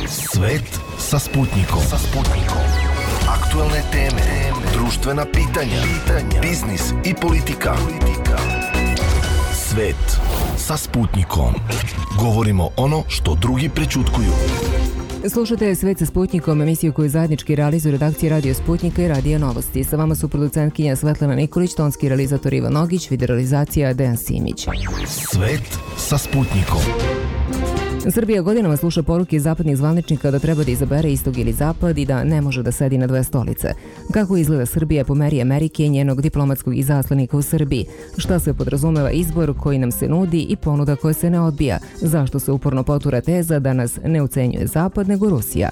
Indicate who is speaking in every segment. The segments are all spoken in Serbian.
Speaker 1: Svet sa Sputnikom. Aktuelne teme, društvena pitanja, biznis i politika. Svet sa Sputnikom. Govorimo ono što drugi prećutkuju.
Speaker 2: Slušate Svet sa Sputnikom, emisiju koju zajednički realizuju redakcije Radio Sputnika i Radio Novosti. Sa vama su producentkinja Svetlana Nikolić, tonski realizator Ivan Nogić, videorealizacija Dejan Simić.
Speaker 1: Svet sa Sputnikom.
Speaker 2: Srbija godinama sluša poruke zapadnih zvaničnika da treba da izabere istok ili zapad i da ne može da sedi na dve stolice. Kako izgleda Srbija po meri Amerike i njenog diplomatskog izaslanika u Srbiji? Šta se podrazumeva izbor koji nam se nudi i ponuda koja se ne odbija? Zašto se uporno potura teza da nas ne ucenjuje zapad nego Rusija?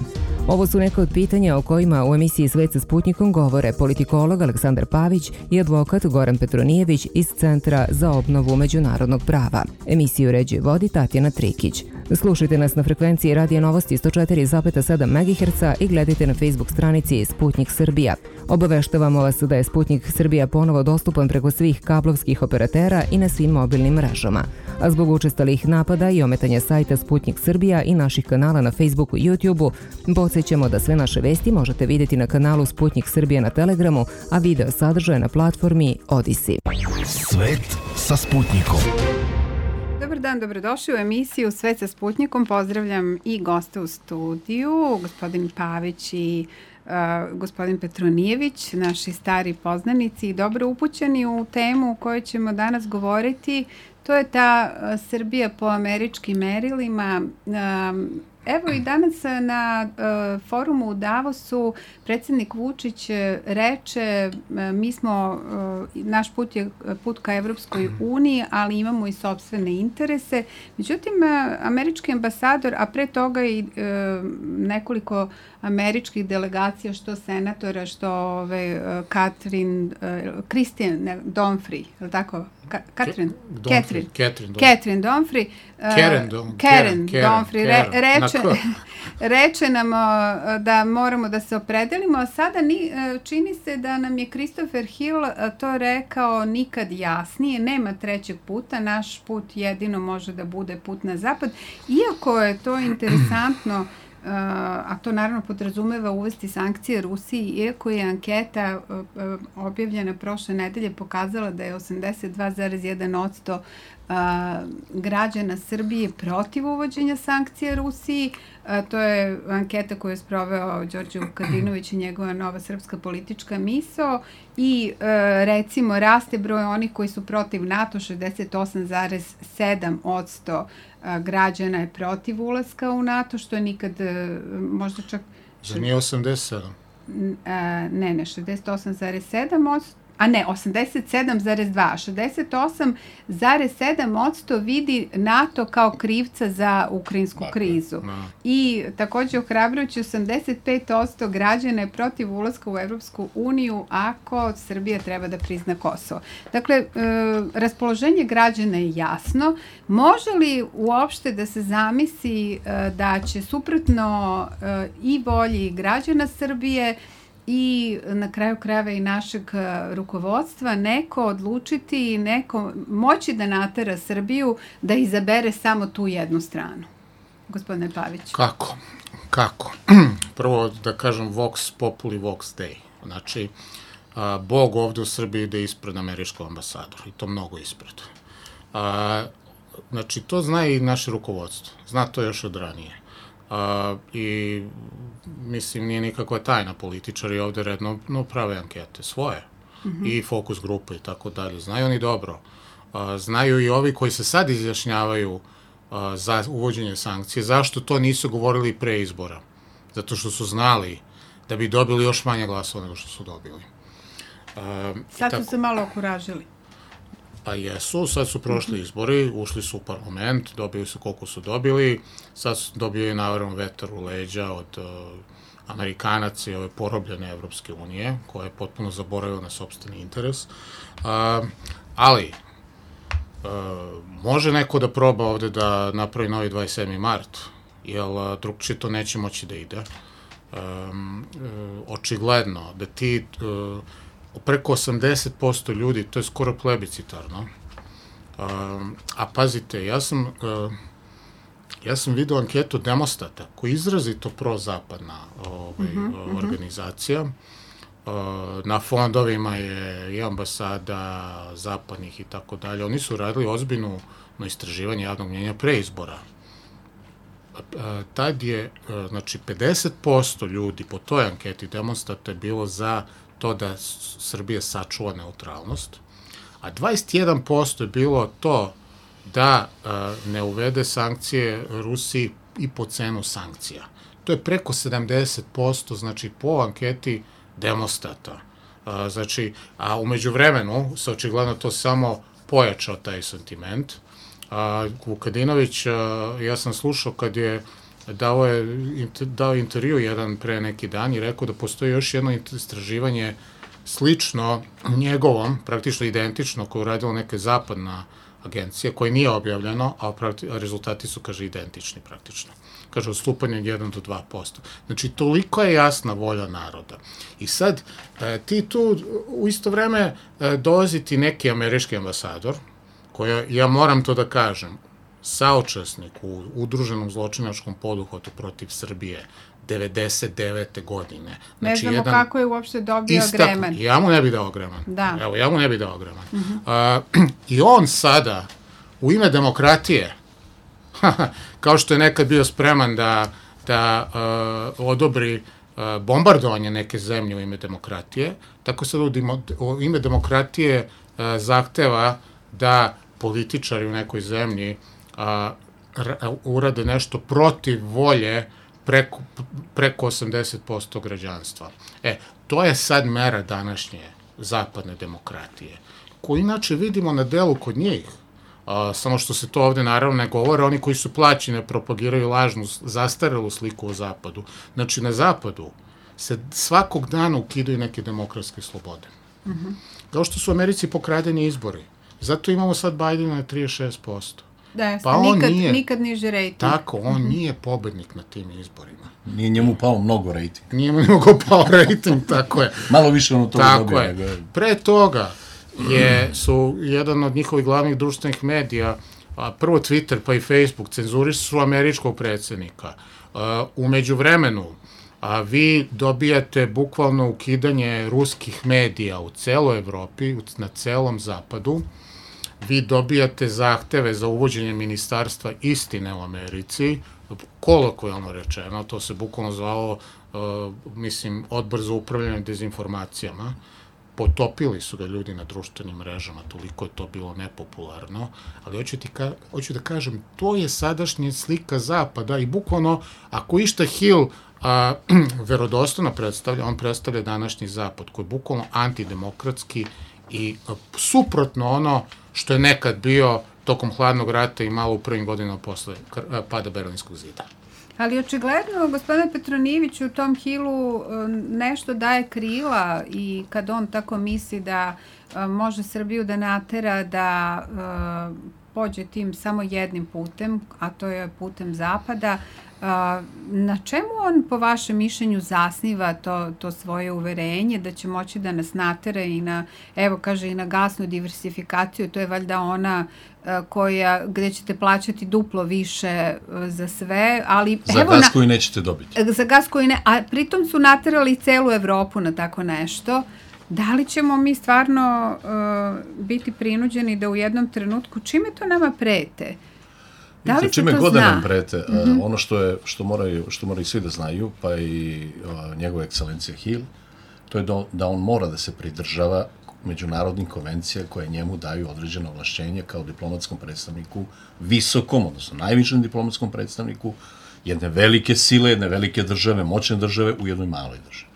Speaker 2: Ovo su neka od pitanja o kojima u emisiji Svet sa Sputnikom govore politikolog Aleksandar Pavić i advokat Goran Petronijević iz Centra za obnovu međunarodnog prava. Emisiju uređuje vodi Tatjana Trikić. Slušajte nas na frekvenciji Radio Novosti 104,7 MHz i gledajte na Facebook stranici Sputnik Srbija. Obaveštavamo vas da je Sputnik Srbija ponovo dostupan preko svih kablovskih operatera i na svim mobilnim mrežama. A zbog učestalih napada i ometanja sajta Sputnik Srbija i naših kanala na Facebooku i YouTubeu, podsjećamo da sve naše vesti možete vidjeti na kanalu Sputnik Srbija na Telegramu, a video sadržaje na platformi Odisi.
Speaker 1: Svet sa Sputnikom.
Speaker 3: Dobar dan, dobrodošli u emisiju Svet sa Sputnikom. Pozdravljam i goste u studiju, gospodin Pavić i gospodin Petronijević, naši stari poznanici i dobro upućeni u temu o kojoj ćemo danas govoriti. To je ta Srbija po američkim merilima. Evo i danas na forumu u Davosu predsjednik Vučić reče naš put je put ka Evropskoj uniji, ali imamo i sopstvene interese. Međutim, američki ambasador, a pre toga i nekoliko američkih delegacija, što senatora, što Christine Donfrey, je li tako? Catherine Donfrey reče nam da moramo da se opredelimo, a sada čini se da nam je Christopher Hill to rekao nikad jasnije, nema trećeg puta, naš put jedino može da bude put na zapad, iako je to interesantno, a to naravno podrazumeva uvesti sankcije Rusiji, iako je anketa objavljena prošle nedelje pokazala da je 82,1% građana Srbije protiv uvođenja sankcija Rusiji. To je anketa koju je sproveo Đorđe Vukadinović i njegova Nova srpska politička misao i recimo raste broj onih koji su protiv NATO, 68,7% građana je protiv ulaska u NATO, što je nikad možda čak...
Speaker 4: Za nije 87?
Speaker 3: Ne, 68,7%. A ne, 87,2%. 68,7% vidi NATO kao krivca za ukrajinsku krizu. I također ohrabrujući 85% građana je protiv ulaska u Evropsku uniju ako Srbija treba da prizna Kosovo. Dakle, raspoloženje građana je jasno. Može li uopšte da se zamisli da će suprotno i volji građana Srbije i na kraju krajeva i našeg rukovodstva neko odlučiti i neko moći da natera Srbiju da izabere samo tu jednu stranu? Gospodine Paviću.
Speaker 4: Kako? Prvo da kažem vox populi vox dei. Znači, Bog ovde u Srbiji ide ispred američkog ambasadora i to mnogo ispred. Znači, to zna i naše rukovodstvo. Zna to još od ranije. I mislim nije nikakva tajna, političari ovde redno prave ankete svoje i fokus grupe i tako dalje, znaju oni dobro, znaju i ovi koji se sad izjašnjavaju za uvođenje sankcije, zašto to nisu govorili pre izbora, zato što su znali da bi dobili još manje glasova nego što su dobili.
Speaker 3: Sad su se malo okuražili.
Speaker 4: Pa jesu, sad su prošli izbori, ušli su u parlament, dobili su koliko su dobili, sad su dobili naravno vetar u leđa od Amerikanaca i ove porobljene Evropske unije, koja je potpuno zaboravila na sopstveni interes. Ali, može neko da proba ovde da napravi novi 27. mart, jer drugčije to neće moći da ide. Očigledno da ti... preko 80% ljudi, to je skoro plebiscitarno. A pazite, ja sam ja sam vidio anketu Demostata, koja je izrazito prozapadna organizacija. Na fondovima je i ambasada zapadnih i tako dalje. Oni su radili ozbiljno istraživanje javnog mnjenja pre izbora. Tad je, znači, 50% ljudi po toj anketi Demostata je bilo za to da Srbija sačuva neutralnost, a 21% je bilo to da ne uvede sankcije Rusiji i po cenu sankcija. To je preko 70%, znači po anketi Demostata. Znači, a umeđu vremenu se očigledno to samo pojačao taj sentiment. Vukadinović, ja sam slušao kad je dao intervju jedan pre neki dan i rekao da postoji još jedno istraživanje slično njegovom, praktično identično, koje je uradila neka zapadna agencija, koje nije objavljeno, a rezultati su, kaže, identični praktično. Kaže, odstupanje od 1 do 2%. Znači, toliko je jasna volja naroda. I sad, ti tu u isto vreme dolazi ti neki američki ambasador, koja, ja moram to da kažem, saučesnik u udruženom zločinačkom poduhvatu protiv Srbije 99. godine.
Speaker 3: Znači, ne znamo kako je uopšte dobio Greman.
Speaker 4: Ja mu ne bi dao Greman.
Speaker 3: Da.
Speaker 4: Evo, ja mu ne bi dao Greman. I on sada, u ime demokratije, kao što je nekad bio spreman da odobri bombardovanje neke zemlje u ime demokratije, tako sad u ime demokratije zahteva da političari u nekoj zemlji urade nešto protiv volje preko 80% građanstva. To je sad mera današnje zapadne demokratije, koju inače vidimo na delu kod njih. Samo što se to ovde naravno ne govore, oni koji su plaćeni propagiraju lažnu, zastarelu sliku o Zapadu. Znači, na Zapadu se svakog dana ukidaju neke demokratske slobode. Kao što su u Americi pokradeni izbori. Zato imamo sad Bajdena na 36%.
Speaker 3: Da,
Speaker 4: pa
Speaker 3: nikad niže rejting.
Speaker 4: Tako, on nije pobednik na tim izborima.
Speaker 5: Nije njemu pao mnogo rejting.
Speaker 4: Nije mnogo pao rejting, tako je.
Speaker 5: Malo više ono toga dobio.
Speaker 4: Tako je. Pre toga su jedan od njihovih glavnih društvenih medija, prvo Twitter pa i Facebook, cenzurišu američkog predsjednika. Umeđu vremenu, vi dobijate bukvalno ukidanje ruskih medija u celoj Evropi, na celom zapadu. Vi dobijate zahteve za uvođenje ministarstva istine u Americi, kolokvijalno rečeno, to se bukvalno zvalo, Odbor za upravljanje dezinformacijama. Potopili su ga ljudi na društvenim mrežama, toliko je to bilo nepopularno, ali hoću da kažem, to je sadašnja slika Zapada i bukvalno, ako išta Hill verodostojno predstavlja, on predstavlja današnji Zapad, koji je bukvalno antidemokratski i suprotno ono što je nekad bio tokom hladnog rata i malo u prvim godinama posle pada Berlinskog zida.
Speaker 3: Ali očigledno, gospodine Petronijeviću, u tom Hillu nešto daje krila i kad on tako misli da može Srbiju da natera da pođe tim samo jednim putem, a to je putem Zapada, na čemu on, po vašem mišljenju, zasniva to svoje uverenje da će moći da nas natera i na, evo kaže, i na gasnu diversifikaciju, to je valjda ona gde ćete plaćati duplo više za sve, ali...
Speaker 5: Za gas koji nećete dobiti.
Speaker 3: Za gas koji ne, a pritom su naterali celu Evropu na tako nešto. Da li ćemo mi stvarno biti prinuđeni da u jednom trenutku, čime to nama prete? Da li se
Speaker 5: čime
Speaker 3: to
Speaker 5: god
Speaker 3: zna?
Speaker 5: Da nam prete, ono što moraju svi da znaju, pa i njegova ekscelencija Hill, to je da on mora da se pridržava međunarodnih konvencija koje njemu daju određeno ovlašćenje kao diplomatskom predstavniku, visokom, odnosno najvišem diplomatskom predstavniku jedne velike sile, jedne velike države, moćne države u jednoj maloj državi.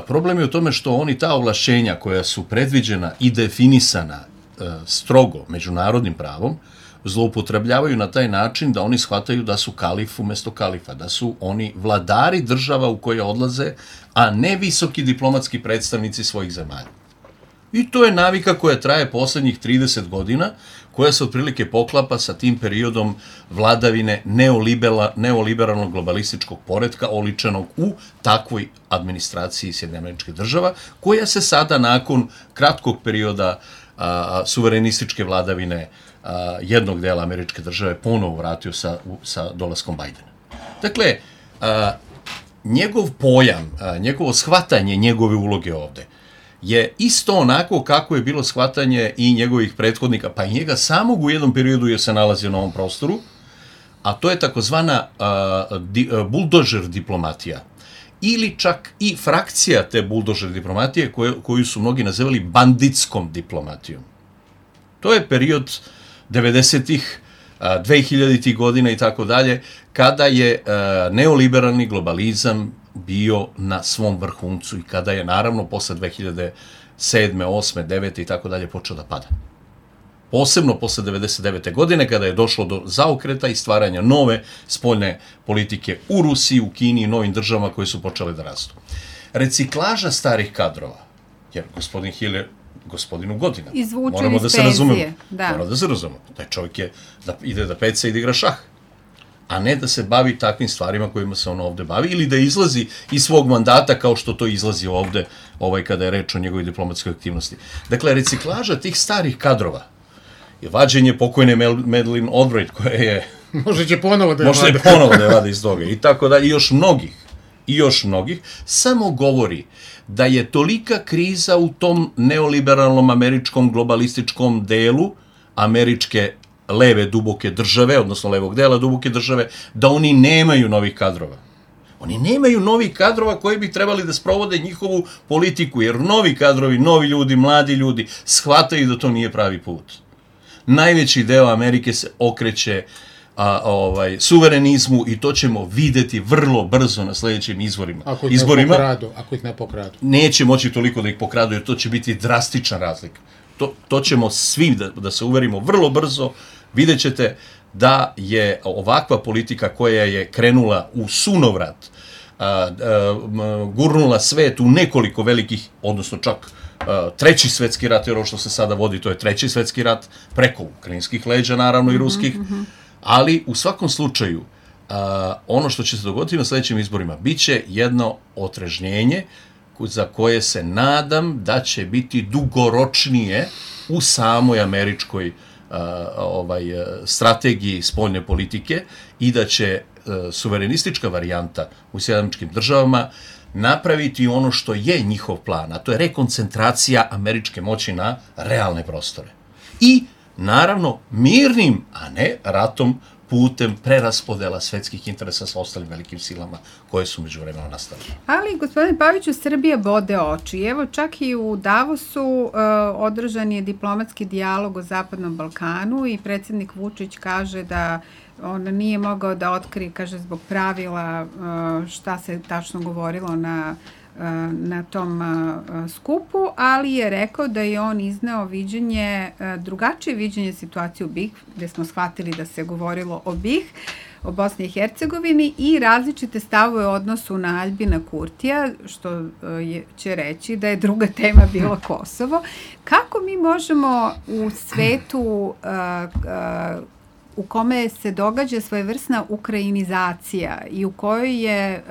Speaker 5: Problem je u tome što oni ta ovlašćenja koja su predviđena i definisana strogo međunarodnim pravom, zloupotrebljavaju na taj način da oni shvataju da su kalif umesto kalifa, da su oni vladari država u koje odlaze, a ne visoki diplomatski predstavnici svojih zemalja. I to je navika koja traje poslednjih 30 godina, koja se otprilike poklapa sa tim periodom vladavine neoliberalnog globalističkog poretka oličenog u takvoj administraciji Sjedinjenih Američkih Država, koja se sada nakon kratkog perioda suverenističke vladavine jednog dela američke države ponovo vratio sa dolaskom Bajdena. Dakle, njegov pojam, njegovo shvatanje njegove uloge ovde je isto onako kako je bilo shvatanje i njegovih prethodnika, pa i njega samog u jednom periodu je se nalazio na ovom prostoru, a to je takozvana buldožer diplomatija. Ili čak i frakcija te buldožer diplomatije koju su mnogi nazivali banditskom diplomatijom. To je period 90-ih, 2000-ih godina i tako dalje, kada je neoliberalni globalizam bio na svom vrhuncu i kada je naravno posle 2007. 8. 9. i tako dalje počeo da pada. Posebno posle 99. godine kada je došlo do zaokreta i stvaranja nove spoljne politike u Rusiji, u Kini i novim državama koje su počele da rastu. Reciklaža starih kadrova, jer gospodin Hill je gospodinu godina.
Speaker 3: Izvučen iz penzije.
Speaker 5: Moramo da se razumemo. Taj čovjek je da ide da peca i da igra šah, a ne da se bavi takvim stvarima kojima se on ovde bavi ili da izlazi iz svog mandata kao što to izlazi ovde kada je reč o njegovoj diplomatskoj aktivnosti. Dakle, reciklaža tih starih kadrova je vađenje pokojne Madeleine Albright koja je...
Speaker 4: Može ponovo da
Speaker 5: je vada iz toga i tako dalje. I još mnogih, samo govori da je tolika kriza u tom neoliberalnom američkom globalističkom delu američke leve duboke države, odnosno levog dela duboke države, da oni nemaju novih kadrova. Oni nemaju novih kadrova koji bi trebali da sprovode njihovu politiku, jer novi kadrovi, novi ljudi, mladi ljudi shvataju da to nije pravi put. Najveći deo Amerike se okreće suverenizmu i to ćemo videti vrlo brzo na sljedećim izborima.
Speaker 4: Ako ih ne pokradu.
Speaker 5: Neće moći toliko da ih pokradu, jer to će biti drastična razlika. To ćemo svi da se uverimo vrlo brzo. Vidjet ćete da je ovakva politika koja je krenula u sunovrat, gurnula svet u nekoliko velikih, odnosno čak treći svetski rat, jer ovo što se sada vodi, to je treći svetski rat, preko ukrajinskih leđa, naravno, i ruskih, ali u svakom slučaju, ono što će se dogoditi na sljedećim izborima, bit će jedno otrežnjenje za koje se nadam da će biti dugoročnije u samoj američkoj strategiji spoljne politike i da će suverenistička varijanta u Sjedinjenim Državama napraviti ono što je njihov plan, a to je rekoncentracija američke moći na realne prostore. I, naravno, mirnim, a ne ratom, putem preraspodela svetskih interesa sa ostalim velikim silama koje su međuvremeno nastale.
Speaker 3: Ali, gospodine Paviću, Srbija bode oči. Evo, čak i u Davosu održan je diplomatski dijalog o Zapadnom Balkanu i predsjednik Vučić kaže da on nije mogao da otkrije, kaže, zbog pravila šta se tačno govorilo na tom skupu, ali je rekao da je on izneo viđenje, drugačije viđenje situacije u BiH, gde smo shvatili da se govorilo o BiH, o Bosni i Hercegovini i različite stavove u odnosu na Aljbina Kurtija, što će reći da je druga tema bila Kosovo. Kako mi možemo u svetu u kome se događa svojevrsna ukrajinizacija i u kojoj je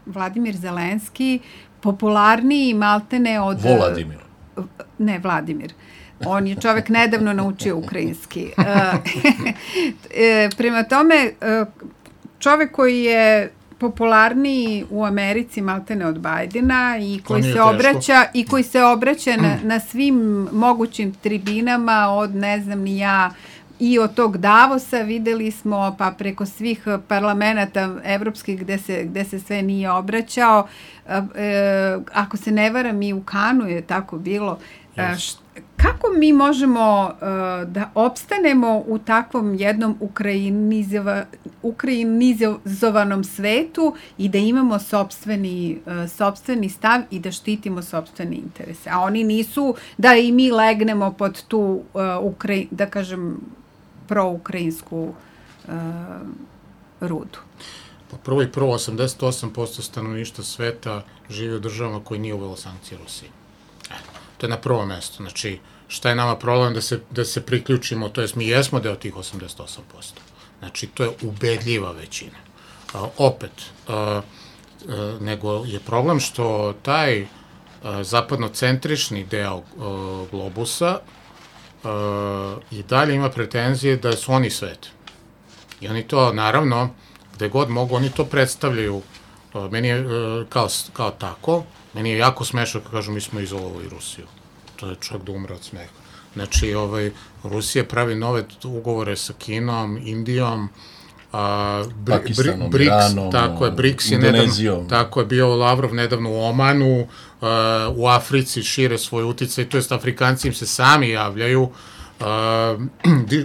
Speaker 3: Vladimir Zelenski popularniji maltene od...
Speaker 5: Vladimir.
Speaker 3: Ne, Vladimir. On je čovek nedavno naučio ukrajinski. Prema tome, čovek koji je popularniji u Americi maltene od Bajdena i koji se obraća na svim mogućim tribinama od ne znam ni ja i od tog Davosa videli smo, pa preko svih parlamenta evropskih gde se sve nije obraćao. Ako se ne varam, i u Kanu je tako bilo. Kako mi možemo da opstanemo u takvom jednom ukrajinizovanom svetu i da imamo sopstveni stav i da štitimo sopstvene interese? A oni nisu da i mi legnemo pod tu, da kažem, proukrajinsku rudu.
Speaker 4: Prvo 88% stanovništva sveta živi u državama koji nije uvelo sankcije Rusiji. To je na prvo mesto. Znači, šta je nama problem da se priključimo, to jest mi jesmo deo tih 88%. Znači, to je ubedljiva većina. Opet, nego je problem što taj zapadnocentrični deo globusa i dalje ima pretenzije da su oni svet. I oni to, naravno, gde god mogu, oni to predstavljaju. Meni je kao tako, meni je jako smešno kad kažu mi smo izolovali Rusiju. To je čak da umre od smeha. Znači, Rusija pravi nove ugovore sa Kinom, Indijom,
Speaker 5: Pakistanom,
Speaker 4: BRICS,
Speaker 5: Iranom,
Speaker 4: tako je, BRICS je
Speaker 5: Indonezijom.
Speaker 4: Tako je bio Lavrov nedavno u Omanu, u Africi šire svoj uticaj, to jest Afrikanci im se sami javljaju.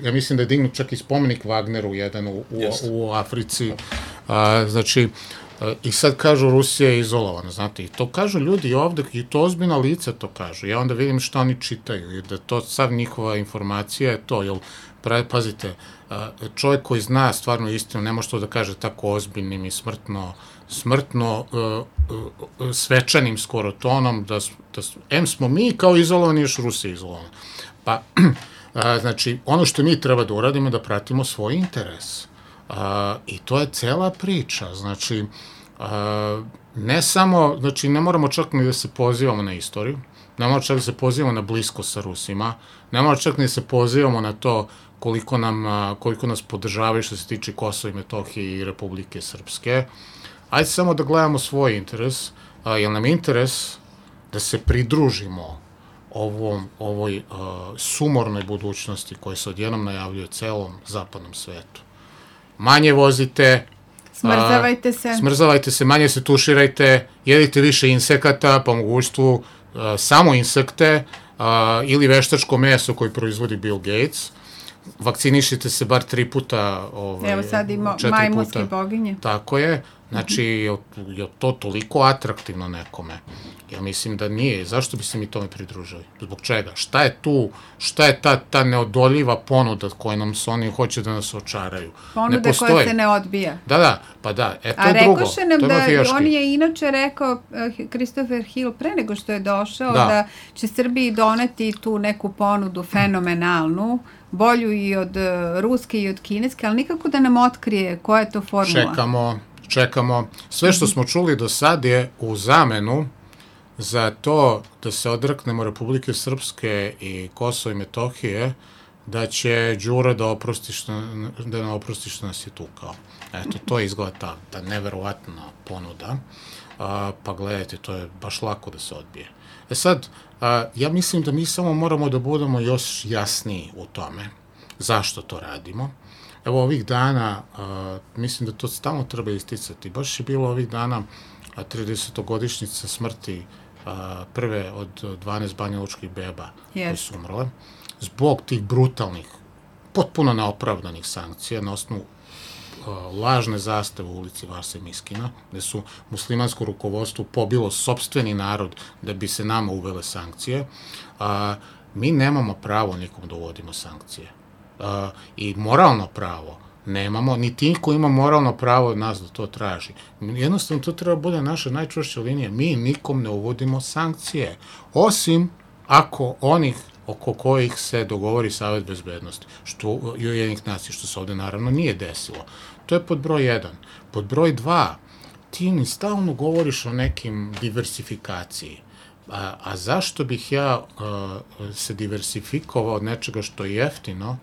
Speaker 4: Ja mislim da je dignut čak i spomenik Wagneru jedan u Africi. Znači, i sad kažu Rusija je izolovana, znate, i to kažu ljudi ovde, i to ozbiljna lica to kažu. Ja onda vidim šta oni čitaju, i da to sav njihova informacija je to, jer, pazite, čovjek koji zna stvarno istinu, ne može to da kaže tako ozbiljnim i smrtno svečanim skoro tonom, da smo mi kao izolovani, još Rusija izolovana. Pa, znači, ono što mi treba da uradimo, da pratimo svoj interes. I to je cela priča, znači, ne samo, znači, ne moramo čak ni da se pozivamo na istoriju, ne moramo čak da se pozivamo na blisko sa Rusima, ne moramo čak ni da se pozivamo na to koliko nas podržavaju što se tiče Kosova i Metohije i Republike Srpske. Ajde samo da gledamo svoj interes, jer nam je interes da se pridružimo ovoj sumornoj budućnosti koja se odjednom najavljuje celom zapadnom svetu. Manje vozite, smrzavajte se, manje se tuširajte, jedite više insekata, po mogućstvu samo insekte ili veštačko meso koje proizvodi Bill Gates. Vakcinišite se bar 3 puta,
Speaker 3: evo sad ima majmunske boginje.
Speaker 4: Tako je, znači je to toliko atraktivno nekome. Ja mislim da nije. Zašto bi se mi tome pridružili? Zbog čega? Šta je tu, šta je ta neodoljiva ponuda koja nam se oni hoće da nas očaraju?
Speaker 3: Ponuda koja se ne odbija.
Speaker 4: Da, pa da, to je drugo.
Speaker 3: A rekoše nam da, on je inače rekao, Christopher Hill, pre nego što je došao, da će Srbiji doneti tu neku ponudu fenomenalnu, bolju i od ruske i od kineske, ali nikako da nam otkrije koja je to formula.
Speaker 4: Čekamo. Sve što smo čuli do sad je u zamenu za to da se odreknemo Republike Srpske i Kosova i Metohije, da će Đura da nam oprosti što nas je tukao. Eto, to je izgleda ta neverovatna ponuda. Pa gledajte, to je baš lako da se odbije. Sad, ja mislim da mi samo moramo da budemo još jasniji u tome zašto to radimo. Evo ovih dana, mislim da to stalno treba isticati, baš je bilo ovih dana 30-godišnjica smrti prve od 12 banjalučkih beba koji su umrle, zbog tih brutalnih, potpuno neopravdanih sankcija na osnovu lažne zastave u ulici Vase Miskina, gde su muslimansko rukovodstvo pobilo sopstveni narod da bi se nama uvele sankcije. Mi nemamo pravo nikom da uvodimo sankcije. I moralno pravo nemamo, niti niko ima moralno pravo od nas da to traži. Jednostavno, to treba bude naša najčvršća linija. Mi nikom ne uvodimo sankcije, osim ako onih oko kojih se dogovori Savet bezbednosti, Ujedinjenih nacija, što se ovde naravno nije desilo. To je pod broj 1. Pod broj 2, ti mi stalno govoriš o nekim diversifikaciji. A zašto bih ja se diversifikovao od nečega što je jeftino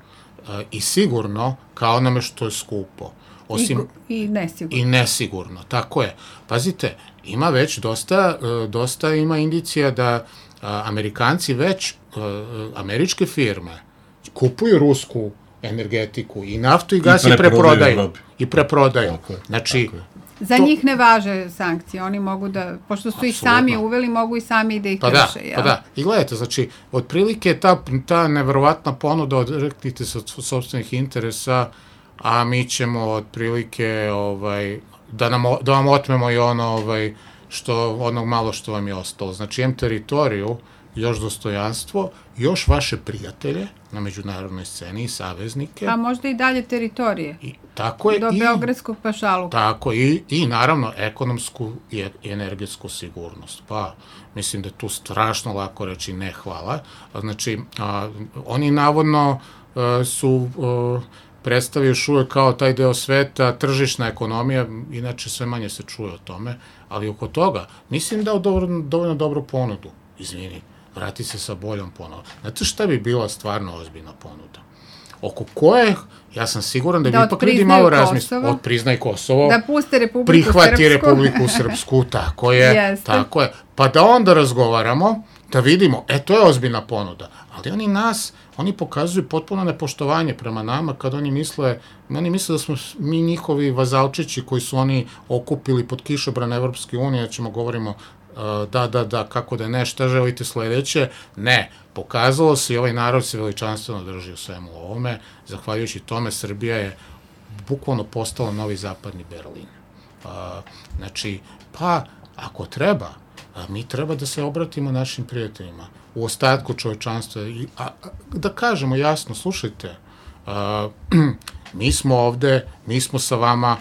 Speaker 4: i sigurno kao onome što je skupo? I nesigurno, tako je. Pazite, ima već dosta ima indicija da Amerikanci već, američke firme kupuju rusku energetiku i naftu i gas i preprodaju. Znači,
Speaker 3: za njih ne važe sankcije, oni mogu da, pošto su ih sami uveli, mogu i sami da ih krše.
Speaker 4: Pa da, i gledajte, znači, otprilike ta neverovatna ponuda odreknite se od sopstvenih interesa, a mi ćemo otprilike da vam otmemo i ono malo što vam je ostalo. Znači, teritoriju, još dostojanstvo, još vaše prijatelje na međunarodnoj sceni i saveznike.
Speaker 3: A možda i dalje teritorije.
Speaker 4: Tako je.
Speaker 3: Do Beogradskog pašaluka.
Speaker 4: Tako i naravno ekonomsku i energetsku sigurnost. Pa, mislim da je tu strašno lako reći ne hvala. Znači, oni navodno su predstavio još uvek kao taj deo sveta, tržišna ekonomija, inače sve manje se čuje o tome, ali oko toga mislim da je dovoljno dobru ponudu, izvini. vrati se sa boljom ponudom. Znate šta bi bila stvarno ozbiljna ponuda? Oko koje, ja sam siguran da bi ipak ljudi malo razmislili. Od priznaj Kosovo.
Speaker 3: Da puste Republiku
Speaker 4: prihvati
Speaker 3: Srpsku.
Speaker 4: Republiku Srpsku, tako je.
Speaker 3: Jeste.
Speaker 4: Tako je. Pa da onda razgovaramo, da vidimo, to je ozbiljna ponuda. Ali oni pokazuju potpuno nepoštovanje prema nama kad oni misle da smo mi njihovi vazalčići koji su oni okupili pod kišobran Evropske unije, ćemo govorimo da, kako da ne, šta želite sledeće? Ne, pokazalo se i ovaj narod se veličanstveno drži u svemu ovome. Zahvaljujući tome, Srbija je bukvalno postala novi zapadni Berlin. Znači, ako treba, mi treba da se obratimo našim prijateljima u ostatku čovečanstva. Da kažemo jasno, slušajte, mi smo ovde, mi smo sa vama,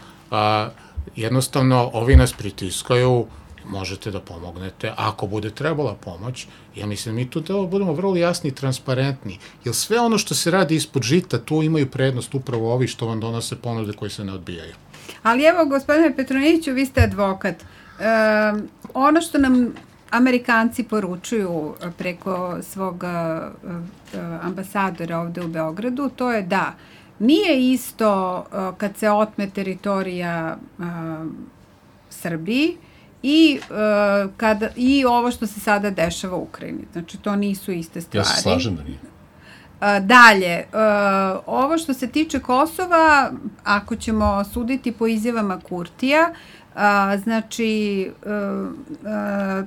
Speaker 4: jednostavno ovi nas pritiskaju, možete da pomognete, ako bude trebala pomoć. Ja mislim, mi tu da budemo vrlo jasni i transparentni, jer sve ono što se radi ispod žita, tu imaju prednost upravo ovi što vam donose ponude koje se ne odbijaju.
Speaker 3: Ali evo, gospodine Petronijeviću, vi ste advokat. Ono što nam Amerikanci poručuju preko svog ambasadora ovde u Beogradu, to je da nije isto kad se otme teritorija Srbiji i ovo što se sada dešava u Ukrajini. Znači, to nisu iste stvari.
Speaker 5: Ja se slažem da nije.
Speaker 3: Dalje, ovo što se tiče Kosova, ako ćemo suditi po izjavama Kurtija, znači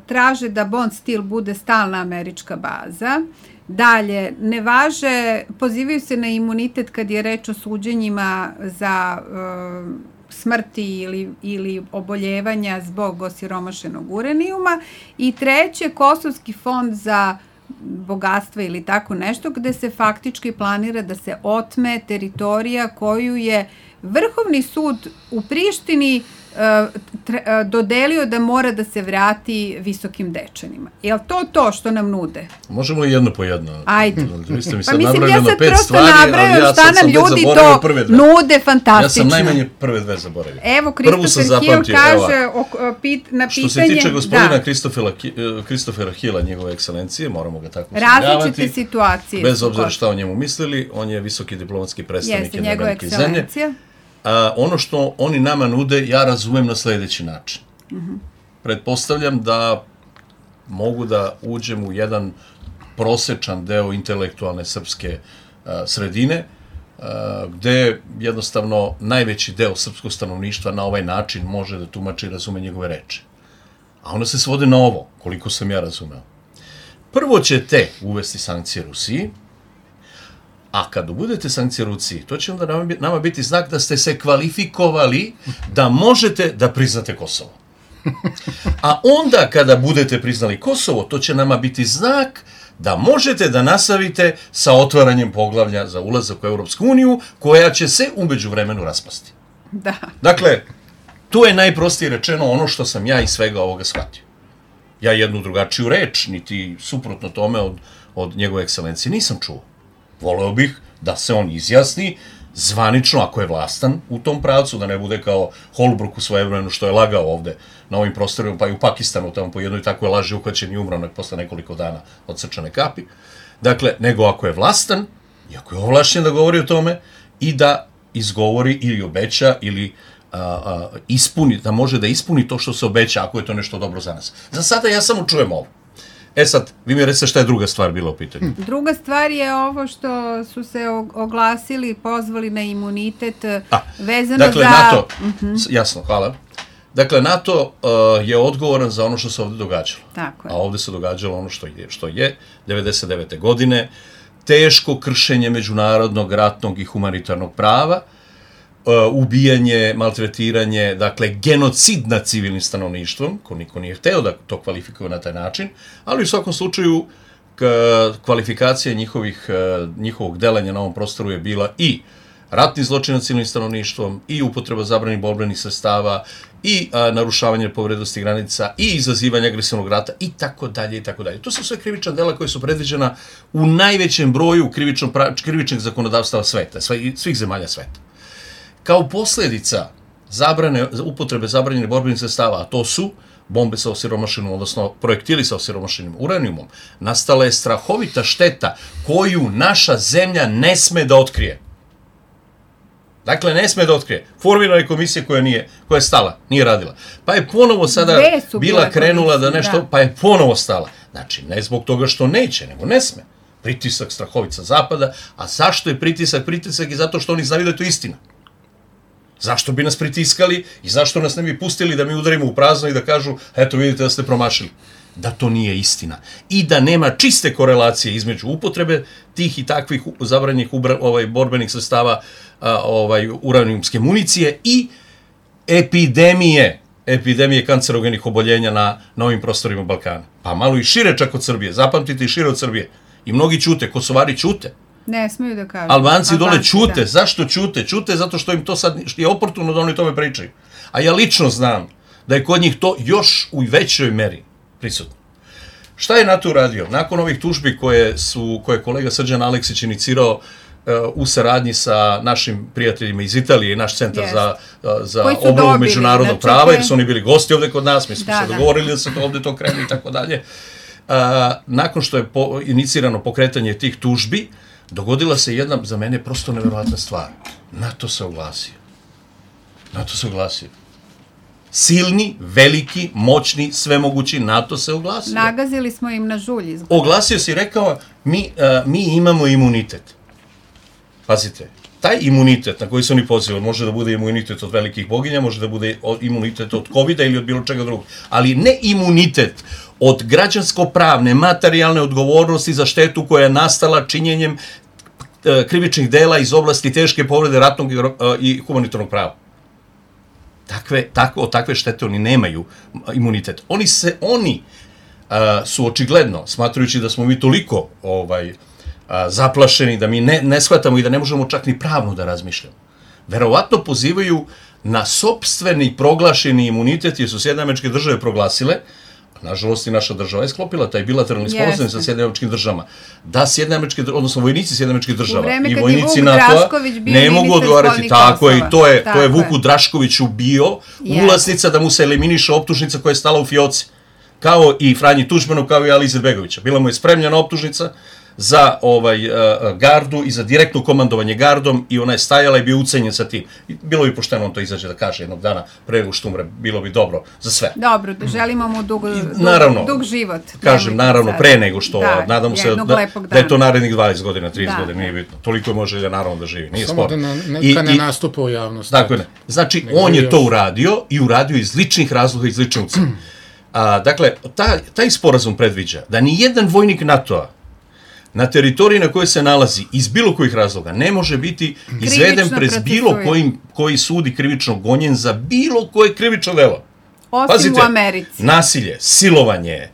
Speaker 3: traže da Bond Steel bude stalna američka baza. Dalje, ne važe, pozivaju se na imunitet kad je reč o suđenjima za smrti ili oboljevanja zbog osiromašenog uranijuma. I treće, Kosovski fond za bogatstva ili tako nešto, gde se faktički planira da se otme teritorija koju je Vrhovni sud u Prištini dodelio da mora da se vrati Visokim Dečanima. Je li to što nam nude?
Speaker 5: Možemo i jedno po jedno.
Speaker 3: Ajde.
Speaker 5: Vi ste mi
Speaker 3: Pa
Speaker 5: sad
Speaker 3: mislim,
Speaker 5: nabrali
Speaker 3: ja
Speaker 5: jedno
Speaker 3: sad
Speaker 5: 5
Speaker 3: prosto
Speaker 5: stvari,
Speaker 3: nabrajam
Speaker 5: ali ja
Speaker 3: šta
Speaker 5: sad
Speaker 3: nam
Speaker 5: sam već
Speaker 3: ljudi
Speaker 5: zaboravio
Speaker 3: to
Speaker 5: prve dve.
Speaker 3: nude fantastično.
Speaker 5: Ja sam najmanje prve dve zaboravio.
Speaker 3: Evo,
Speaker 5: Prvu sam
Speaker 3: Christopher Hill
Speaker 5: zapamtio,
Speaker 3: kaže na pitanje...
Speaker 5: Što se tiče gospodina Christophera Hilla, njegove ekscelencije, moramo ga tako uslovljavati.
Speaker 3: Različite situacije.
Speaker 5: Bez obzira šta o njemu mislili, on je visoki diplomatski predstavnik jedne velike zemlje. Ono što oni nama nude, ja razumem na sledeći način. Pretpostavljam da mogu da uđem u jedan prosečan deo intelektualne srpske sredine, gde jednostavno najveći deo srpskog stanovništva na ovaj način može da tumači i razume njegove reči. A onda se svode na ovo, koliko sam ja razumeo. Prvo ćete uvesti sankcije Rusiji, a kad budete sankcije Rusiji, to će onda nama biti znak da ste se kvalifikovali da možete da priznate Kosovo. A onda kada budete priznali Kosovo, to će nama biti znak da možete da nastavite sa otvaranjem poglavlja za ulazak u Europsku uniju, koja će se u međuvremenu raspasti.
Speaker 3: Da.
Speaker 5: Dakle, to je najprostije rečeno ono što sam ja iz svega ovoga shvatio. Ja jednu drugačiju reč, niti suprotno tome od njegove ekscelencije nisam čuo. Voleo bih da se on izjasni zvanično, ako je vlastan u tom pravcu, da ne bude kao Holbrooke u svojevremenu što je lagao ovde na ovim prostorima, pa i u Pakistanu, tamo po jednoj takvoj laži uhvaćen i umro posle nekoliko dana od srčane kapi. Dakle, nego ako je vlastan, i ako je ovlašćen da govori o tome, i da izgovori ili obeća, ili ispuni, da može da ispuni to što se obeća, ako je to nešto dobro za nas. Za sada ja samo čujem ovo. Sad, vi mi recite šta je druga stvar bila u pitanju.
Speaker 3: Druga stvar je ovo što su se oglasili, pozvali na imunitet vezano
Speaker 5: dakle,
Speaker 3: za...
Speaker 5: NATO, jasno, hvala. Dakle, NATO je odgovoran za ono što se ovde događalo.
Speaker 3: Tako je.
Speaker 5: A ovde se događalo ono što je 99. godine, teško kršenje međunarodnog, ratnog i humanitarnog prava, ubijanje, maltretiranje, dakle, genocid nad civilnim stanovništvom, ko niko nije hteo da to kvalifikuje na taj način, ali u svakom slučaju kvalifikacija njihovog delanja na ovom prostoru je bila i ratni zločin nad civilnim stanovništvom, i upotreba zabranjenih borbenih sredstava, i narušavanje povrednosti granica, i izazivanje agresivnog rata, i tako dalje, i tako dalje. To su sve krivična dela koje su predviđena u najvećem broju krivičnih zakonodavstava sveta, svih zemalja sveta. Kao posledica upotrebe zabranjenih borbenih sredstava, a to su bombe sa osiromašenim, odnosno projektili sa osiromašenim uranijumom, nastala je strahovita šteta koju naša zemlja ne sme da otkrije. Dakle, ne sme da otkrije. Formirana je komisija koja je stala, nije radila. Pa je ponovo sada bila krenula da nešto, pa je ponovo stala. Znači, ne zbog toga što neće, nego ne sme. Pritisak strahovica zapada, a zašto je pritisak? Pritisak je zato što oni znaju da je to istina. Zašto bi nas pritiskali i zašto nas ne bi pustili da mi udarimo u prazno i da kažu, eto vidite da ste promašili. Da to nije istina. I da nema čiste korelacije između upotrebe tih i takvih zabranjenih borbenih sredstava uranijumske municije i epidemije kancerogenih oboljenja na ovim prostorima Balkana. Pa malo i šire čak od Srbije. Zapamtite, i šire od Srbije. I mnogi ćute, Kosovari ćute.
Speaker 3: Ne smiju da kažu.
Speaker 5: Albanci dole ćute. Da. Zašto ćute? Ćute zato što im to sad je oportuno da oni tome pričaju. A ja lično znam da je kod njih to još u većoj meri prisutno. Šta je NATO uradio? Nakon ovih tužbi koje je kolega Srđan Aleksić inicirao u saradnji sa našim prijateljima iz Italije i naš centar za obnovu međunarodnog prava, jer su oni bili gosti ovde kod nas, mi smo se dogovorili da se ovde to krene i tako dalje. Nakon što je inicirano pokretanje tih tužbi, dogodila se jedna, za mene, prosto neverovatna stvar. NATO se oglasio. Silni, veliki, moćni, svemogući NATO se oglasio.
Speaker 3: Nagazili smo im na žulj.
Speaker 5: Oglasio se i rekao, mi imamo imunitet. Pazite, taj imunitet na koji se oni pozivaju, može da bude imunitet od velikih boginja, može da bude imunitet od COVID-a ili od bilo čega drugog, ali ne imunitet od građansko-pravne, materijalne odgovornosti za štetu koja je nastala činjenjem krivičnih dela iz oblasti teške povrede ratnog i humanitarnog prava. Od takve štete oni nemaju imunitet. Oni su očigledno, smatrajući da smo mi toliko zaplašeni, da mi ne shvatamo i da ne možemo čak ni pravno da razmišljamo, verovatno pozivaju na sopstveni proglašeni imunitet, jer su Sjedinjene Američke Države proglasile, nažalost i naša država je sklopila taj bilateralni sporazum sa Sjedinjenim Američkim Državama, da Sjedinjene Američke Države, odnosno vojnici Sjedinjenih Američkih Država i vojnici NATO-a ne mogu odgovarati. Tako je, i to je Vuku Draškoviću bio ulaznica da mu se eliminiše optužnica koja je stala u fioci, kao i Franji Tuđmanu, kao i Ali Izetbegovića. Bila mu je spremljena optužnica za gardu i za direktno komandovanje gardom i ona je stajala i bio ucenjen sa tim. Bilo bi pošteno on to izađe da kaže jednog dana pre nego što umre, bilo bi dobro za sve.
Speaker 3: Dobro, želimo mu dug život.
Speaker 5: Kažem, naravno, pre nego što, nadamo se da je to narednih 20 godina, 30 godina, nije bitno. Toliko je može da naravno da živi, nije sporo.
Speaker 4: Samo da neka ne nastupa u javnosti.
Speaker 5: Dakle, znači, on je to uradio i uradio iz ličnih razloga, iz lične ucene. Dakle, taj sporazum predviđa da ni jedan vojnik NATO-a na teritoriji na kojoj se nalazi iz bilo kojih razloga ne može biti izveden pred bilo koji sudi krivično gonjen za bilo koje krivično delo.
Speaker 3: Osim u Americi.
Speaker 5: Nasilje, silovanje,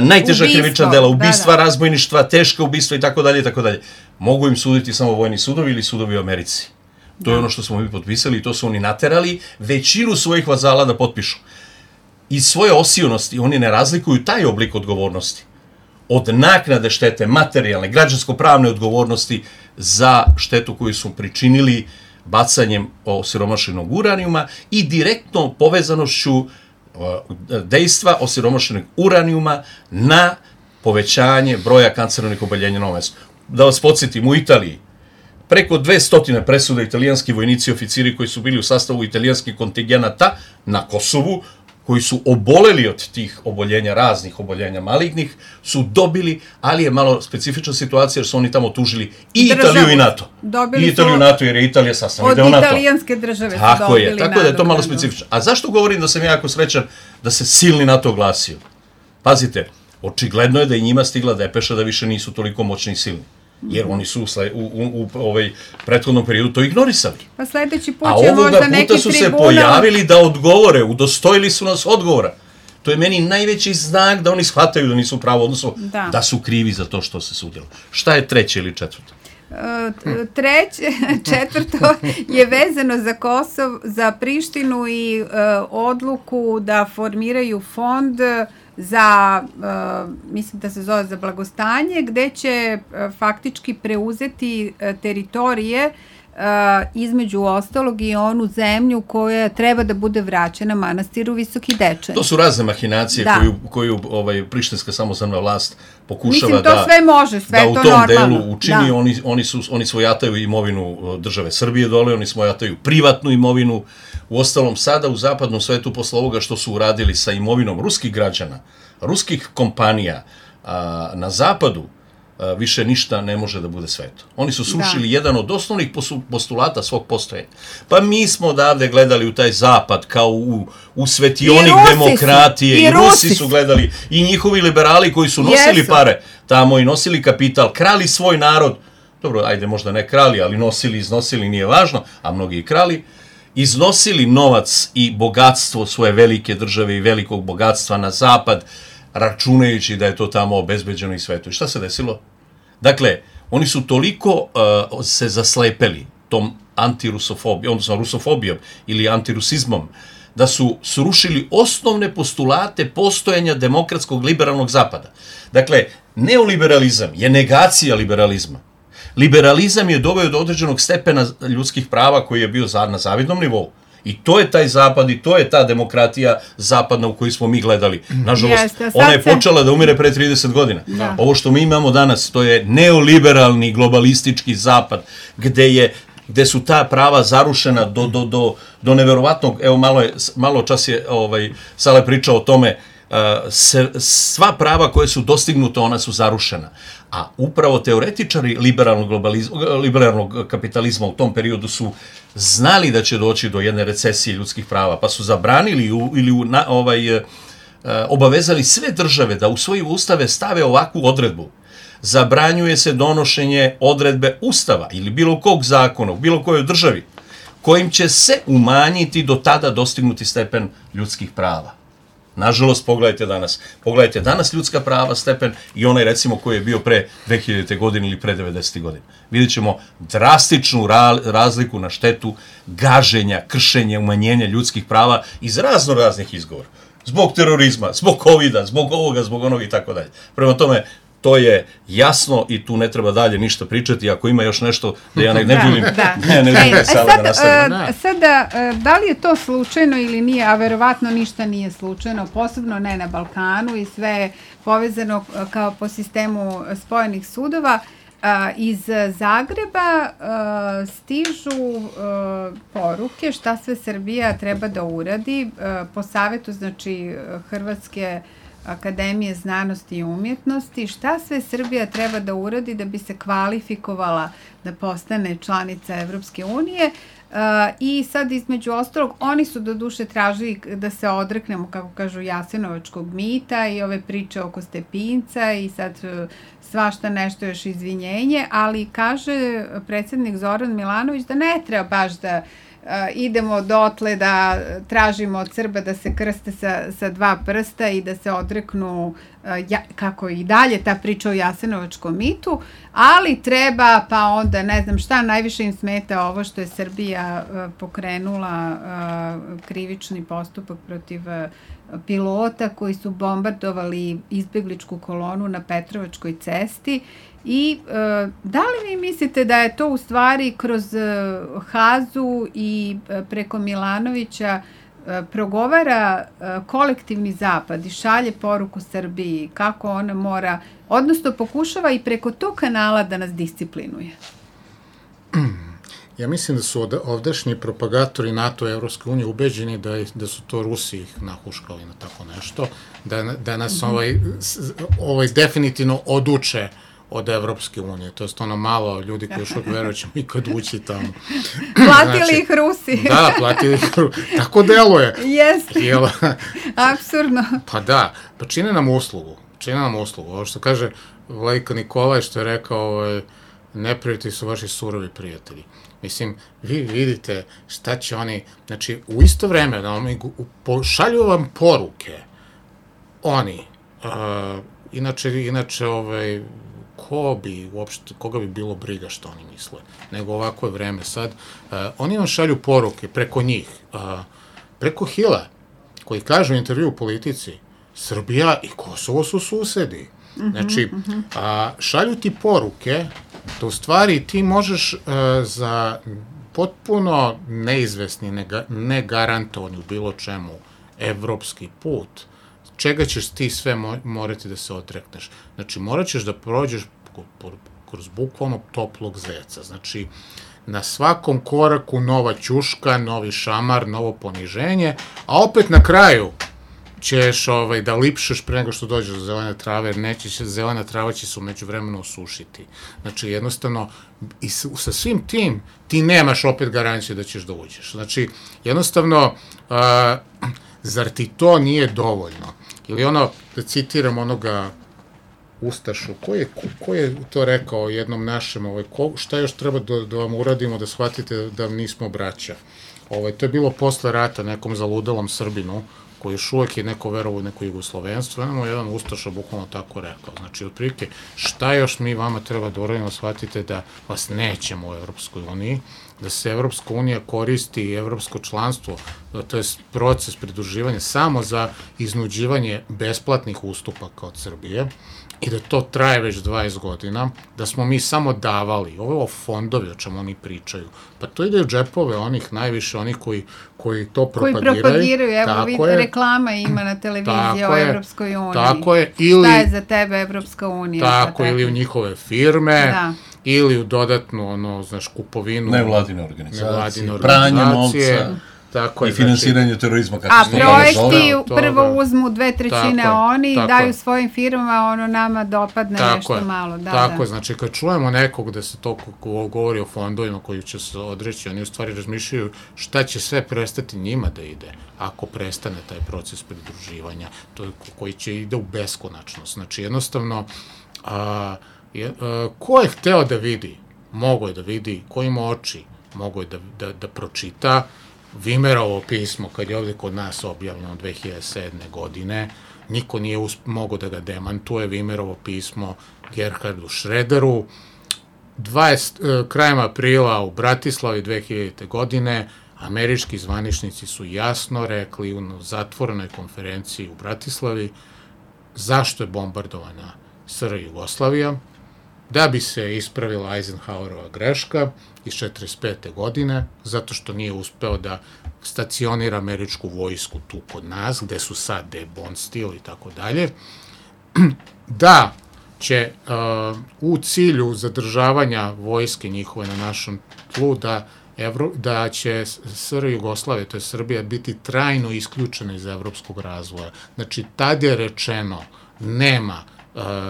Speaker 5: najteža krivična dela, ubistva, razbojništva, teška ubistva i tako dalje i tako dalje. Mogu im suditi samo vojni sudovi ili sudovi u Americi. To je ono što smo mi potpisali i to su oni naterali većinu svojih vazala da potpišu. Iz svoje osionosti oni ne razlikuju taj oblik odgovornosti od naknade štete, materijalne, građansko-pravne odgovornosti za štetu koju su pričinili bacanjem osiromašenog uranijuma i direktno povezanošću dejstva osiromašenog uranijuma na povećanje broja kancerogenih oboljenja na ovom mestu. Da vas podsjetim, u Italiji preko 200 presuda italijanski vojnici i oficiri koji su bili u sastavu italijanskih kontingenata na Kosovu, koji su oboleli od tih oboljenja, raznih oboljenja malignih, su dobili, ali je malo specifična situacija jer su oni tamo tužili i Italiju i NATO. I Italiju i NATO jer je Italija sastavni deo NATO.
Speaker 3: Od italijanske države su dobili NATO.
Speaker 5: Tako da je to malo specifično. A zašto govorim da sam jako srećan da se silni NATO oglasio? Pazite, očigledno je da i njima stigla depeša da više nisu toliko moćni i silni. Jer oni su u prethodnom periodu to ignorisali.
Speaker 3: Pa sledeći put je možda neki tribunal. A ovoga puta su se pojavili da odgovore, udostojili su nas odgovora. To je meni najveći znak da oni shvataju da nisu pravo, odnosno da su krivi za to što se sudjelo. Šta je treće ili četvrto? Četvrto je vezano za Kosovo, za Prištinu i odluku da formiraju fond za, mislim da se zove za blagostanje, gde će faktički preuzeti teritorije između ostalog i onu zemlju koja treba da bude vraćena manastiru Visoki Dečani.
Speaker 5: To su razne mahinacije koju prištinska samozvaná vlast pokušava
Speaker 3: Mislim, to sve može, sve
Speaker 5: da
Speaker 3: to
Speaker 5: u tom
Speaker 3: normalno.
Speaker 5: delu učini. Oni svojataju imovinu države Srbije dole, oni svojataju privatnu imovinu. Uostalom, sada u zapadnom svetu, posle ovoga što su uradili sa imovinom ruskih građana, ruskih kompanija na zapadu, više ništa ne može da bude sveto. Oni su srušili jedan od osnovnih postulata svog postojanja. Pa mi smo odavde gledali u taj zapad kao u svetionik demokratije. I Rusi su gledali. I njihovi liberali koji su nosili pare tamo i nosili kapital, krali svoj narod. Dobro, ajde možda ne krali, ali nosili, iznosili, nije važno, a mnogi i krali. Iznosili novac i bogatstvo svoje velike države i velikog bogatstva na zapad, računajući da je to tamo obezbeđeno i sveto. I šta se desilo? Dakle, oni su toliko se zaslepeli tom antirusofobijom, odnosno rusofobijom ili antirusizmom, da su srušili osnovne postulate postojanja demokratskog liberalnog zapada. Dakle, neoliberalizam je negacija liberalizma. Liberalizam je doveo do određenog stepena ljudskih prava koji je bio na zavidnom nivou. I to je taj zapad i to je ta demokratija zapadna u koju smo mi gledali. Nažalost, ona je počela da umire pre 30 godina. Ovo što mi imamo danas, to je neoliberalni globalistički zapad, gde su ta prava zarušena do neverovatnog, evo malo čas je Sale pričao o tome, sva prava koje su dostignuta, ona su zarušena. A upravo teoretičari liberalnog kapitalizma u tom periodu su znali da će doći do jedne recesije ljudskih prava, pa su zabranili ili obavezali sve države da u svoje ustave stave ovakvu odredbu. Zabranjuje se donošenje odredbe ustava ili bilo kog zakona u bilo kojoj državi kojim će se umanjiti do tada dostignuti stepen ljudskih prava. Nažalost, pogledajte danas ljudska prava, stepen i onaj recimo koji je bio pre 2000. godine ili pre 90. godine. Vidjet ćemo drastičnu razliku na štetu gaženja, kršenja, umanjenja ljudskih prava iz raznih izgovora. Zbog terorizma, zbog covida, zbog ovoga, zbog onoga i tako dalje. Prema tome, to je jasno i tu ne treba dalje ništa pričati. Ako ima još nešto da ja ne duljim, ne duljim sada da nastavim.
Speaker 3: Sada, da li je to slučajno ili nije, a verovatno ništa nije slučajno, posebno ne na Balkanu i sve je povezano kao po sistemu spojenih sudova. Iz Zagreba stižu poruke šta sve Srbija treba da uradi po savetu, znači, Hrvatske Akademije znanosti i umjetnosti, šta sve Srbija treba da uradi da bi se kvalifikovala da postane članica Evropske unije. I sad između ostalog, oni su do duše tražili da se odreknemo, kako kažu, jasenovačkog mita i ove priče oko Stepinca i sad svašta nešto još izvinjenje, ali kaže predsjednik Zoran Milanović da ne treba baš da idemo dotle da tražimo od Srba da se krste sa dva prsta i da se odreknu, kako i dalje ta priča o jasenovačkom mitu, ali treba, pa onda ne znam šta, najviše im smeta ovo što je Srbija pokrenula krivični postupak protiv pilota koji su bombardovali izbegličku kolonu na Petrovačkoj cesti. I da li vi mislite da je to u stvari kroz Hazu i preko Milanovića progovara kolektivni zapad i šalje poruku Srbiji kako ona mora, odnosno pokušava i preko tog kanala da nas disciplinuje?
Speaker 4: Ja mislim da su ovdašnji propagatori NATO i Evropske unije ubeđeni da su to Rusi ih nahuškali na tako nešto, da nas definitivno oduče od Evropske unije. To je ono malo ljudi koji još veruju ćemo ikad ući tamo.
Speaker 3: Platili ih Rusi.
Speaker 4: Da, platili ih Rusi. Tako deluje.
Speaker 3: Jeste. Apsurdno.
Speaker 4: Pa da, pa čine nam uslugu. Ovo što kaže Vladika Nikolaj, što je rekao, neprijatelji su vaši surovi prijatelji. Mislim, vi vidite šta će oni, znači, u isto vreme šalju vam poruke oni, inače, koga bi bilo briga što oni misle, nego ovako je vreme sad. Oni vam šalju poruke preko njih, preko Hila, koji kaže u intervju u Politici, Srbija i Kosovo su susedi. Znači, šalju ti poruke da u stvari ti možeš za potpuno neizvesni, negarantovani u bilo čemu evropski put, čega ćeš ti sve morati da se odrekneš. Znači, morat ćeš da prođeš kroz bukvalno toplog zeca. Znači, na svakom koraku nova ćuška, novi šamar, novo poniženje, a opet na kraju ćeš da lipšeš pre nego što dođeš do zelene trave, jer zelena trava će se umeđu vremenu osušiti. Znači, jednostavno, i sa svim tim, ti nemaš opet garanciju da ćeš da uđeš. Znači, jednostavno, zar ti to nije dovoljno? Ili da citiram onoga Ustašu, ko je to rekao jednom našem, šta još treba da vam uradimo da shvatite da nismo braća? To je bilo posle rata nekom zaludalom Srbinu, koji još uvek je neko verovo u neko jugoslovenstvo, jedan Ustaša bukvalno tako rekao. Znači, otprilike, šta još mi vama treba da uradimo, shvatite da vas nećemo u Evropskoj uniji, da se Evropska unija koristi i evropsko članstvo, to je proces pridruživanja samo za iznuđivanje besplatnih ustupaka od Srbije, i da to traje već 20 godina, da smo mi samo davali, ovo fondovi o čemu oni pričaju, pa to ide u džepove onih najviše, onih koji to propagiraju.
Speaker 3: Koji propagiraju, evo vidite, reklama ima na televiziji o Evropskoj uniji.
Speaker 4: Tako je,
Speaker 3: šta je za tebe Evropska unija?
Speaker 4: Tako, ili u njihove firme, ili u dodatnu, kupovinu
Speaker 5: nevladine organizacije, pranje novca, i finansiranje terorizma.
Speaker 3: A projekti prvo uzmu 2/3 oni, daju svojim firmama, nama dopadne nešto malo.
Speaker 4: Tako je, znači kad čujemo nekog da se to govori o fondovima koji će se odreći, oni u stvari razmišljaju šta će sve prestati njima da ide ako prestane taj proces pridruživanja, koji će ide u beskonačnost. Znači jednostavno, ko je hteo da vidi, mogo je da vidi, ko ima oči, mogo je da pročita Vimerovo pismo, kad je ovde kod nas objavljeno 2007. godine, niko nije mogao da ga demantuje, Vimerovo pismo Gerhardu Schröderu, krajem aprila u Bratislavi 2000. godine, američki zvaničnici su jasno rekli u zatvorenoj konferenciji u Bratislavi zašto je bombardovana SR Jugoslavija, da bi se ispravila Eisenhowerova greška iz 1945. godine, zato što nije uspeo da stacionira američku vojsku tu kod nas, gde su sad, gde je Bond stil i tako dalje, da će u cilju zadržavanja vojske njihove na našem tlu, da će SR Jugoslavija, to je Srbija, biti trajno isključena iz evropskog razvoja. Znači, tad je rečeno, nema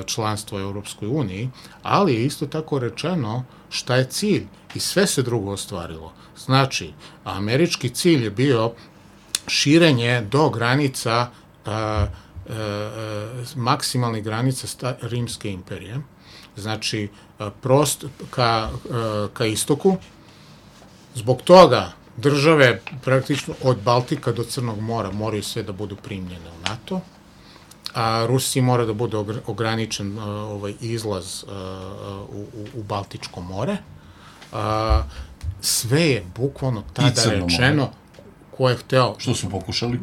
Speaker 4: članstvo u Evropskoj uniji, ali je isto tako rečeno šta je cilj i sve se drugo ostvarilo. Znači, američki cilj je bio širenje do granica, maksimalnih granica Rimske imperije, znači ka istoku. Zbog toga države praktično od Baltika do Crnog mora moraju sve da budu primljene u NATO, a Rusiji mora da bude ograničen izlaz u Baltičko more. Sve je bukvalno tada rečeno ko je hteo...
Speaker 5: Što su pokušali?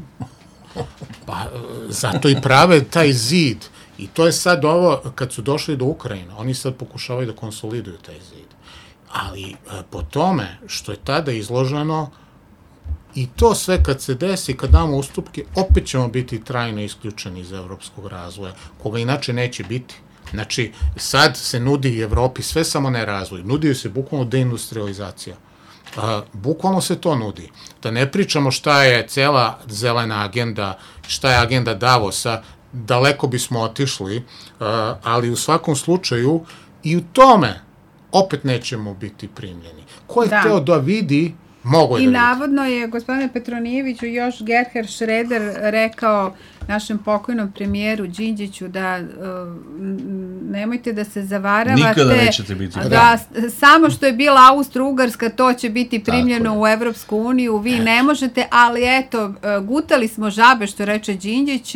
Speaker 4: Pa, zato i prave taj zid. I to je sad ovo, kad su došli do Ukrajine, oni sad pokušavaju da konsoliduju taj zid. Ali po tome što je tada izloženo, i to sve kad se desi, kad damo ustupke, opet ćemo biti trajno isključeni iz evropskog razvoja, koga inače neće biti. Znači, sad se nudi Evropi sve samo ne razvoj, nudi se bukvalno deindustrializacija. Bukvalno se to nudi. Da ne pričamo šta je cela zelena agenda, šta je agenda Davosa, daleko bismo otišli, ali u svakom slučaju i u tome opet nećemo biti primljeni. Ko je hteo da vidi, mogo je da vidi.
Speaker 3: I navodno je, gospodine Petronijeviću, još Gerhard Schröder rekao našem pokojnom premijeru Đinđiću da nemojte da se zavaravate.
Speaker 5: Nikada nećete biti.
Speaker 3: Da samo što je bila Austro-Ugarska, to će biti primljeno u Evropsku uniju, vi ne možete, ali eto, gutali smo žabe, što reče Đinđić,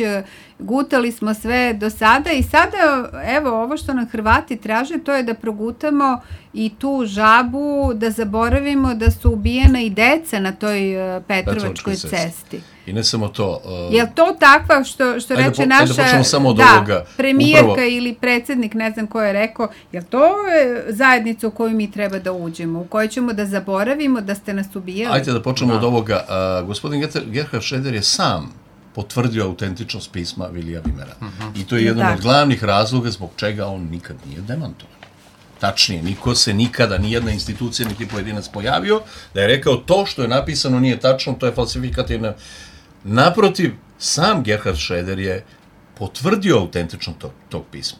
Speaker 3: gutali smo sve do sada i sada, evo, ovo što nam Hrvati traže, to je da progutamo i tu žabu, da zaboravimo da su ubijena i deca na toj Petrovačkoj cesti.
Speaker 5: I ne samo to.
Speaker 3: Je li to takva što reče naša premijerka ili predsjednik, ne znam ko je rekao, je li to zajednica u koju mi treba da uđemo, u kojoj ćemo da zaboravimo da ste nas ubijali?
Speaker 5: Ajde da počnemo od ovoga. Gospodin Gerhard Schröder je sam potvrdio autentičnost pisma Vilija Vimera. I to je jedan od glavnih razloga zbog čega on nikad nije demantovan. Tačnije, niko se nikada, nijedna institucija, niti pojedinac pojavio, da je rekao to što je napisano nije tačno, to je falsifikativno. Naprotiv, sam Gerhard Schröder je potvrdio autentičnost tog pisma.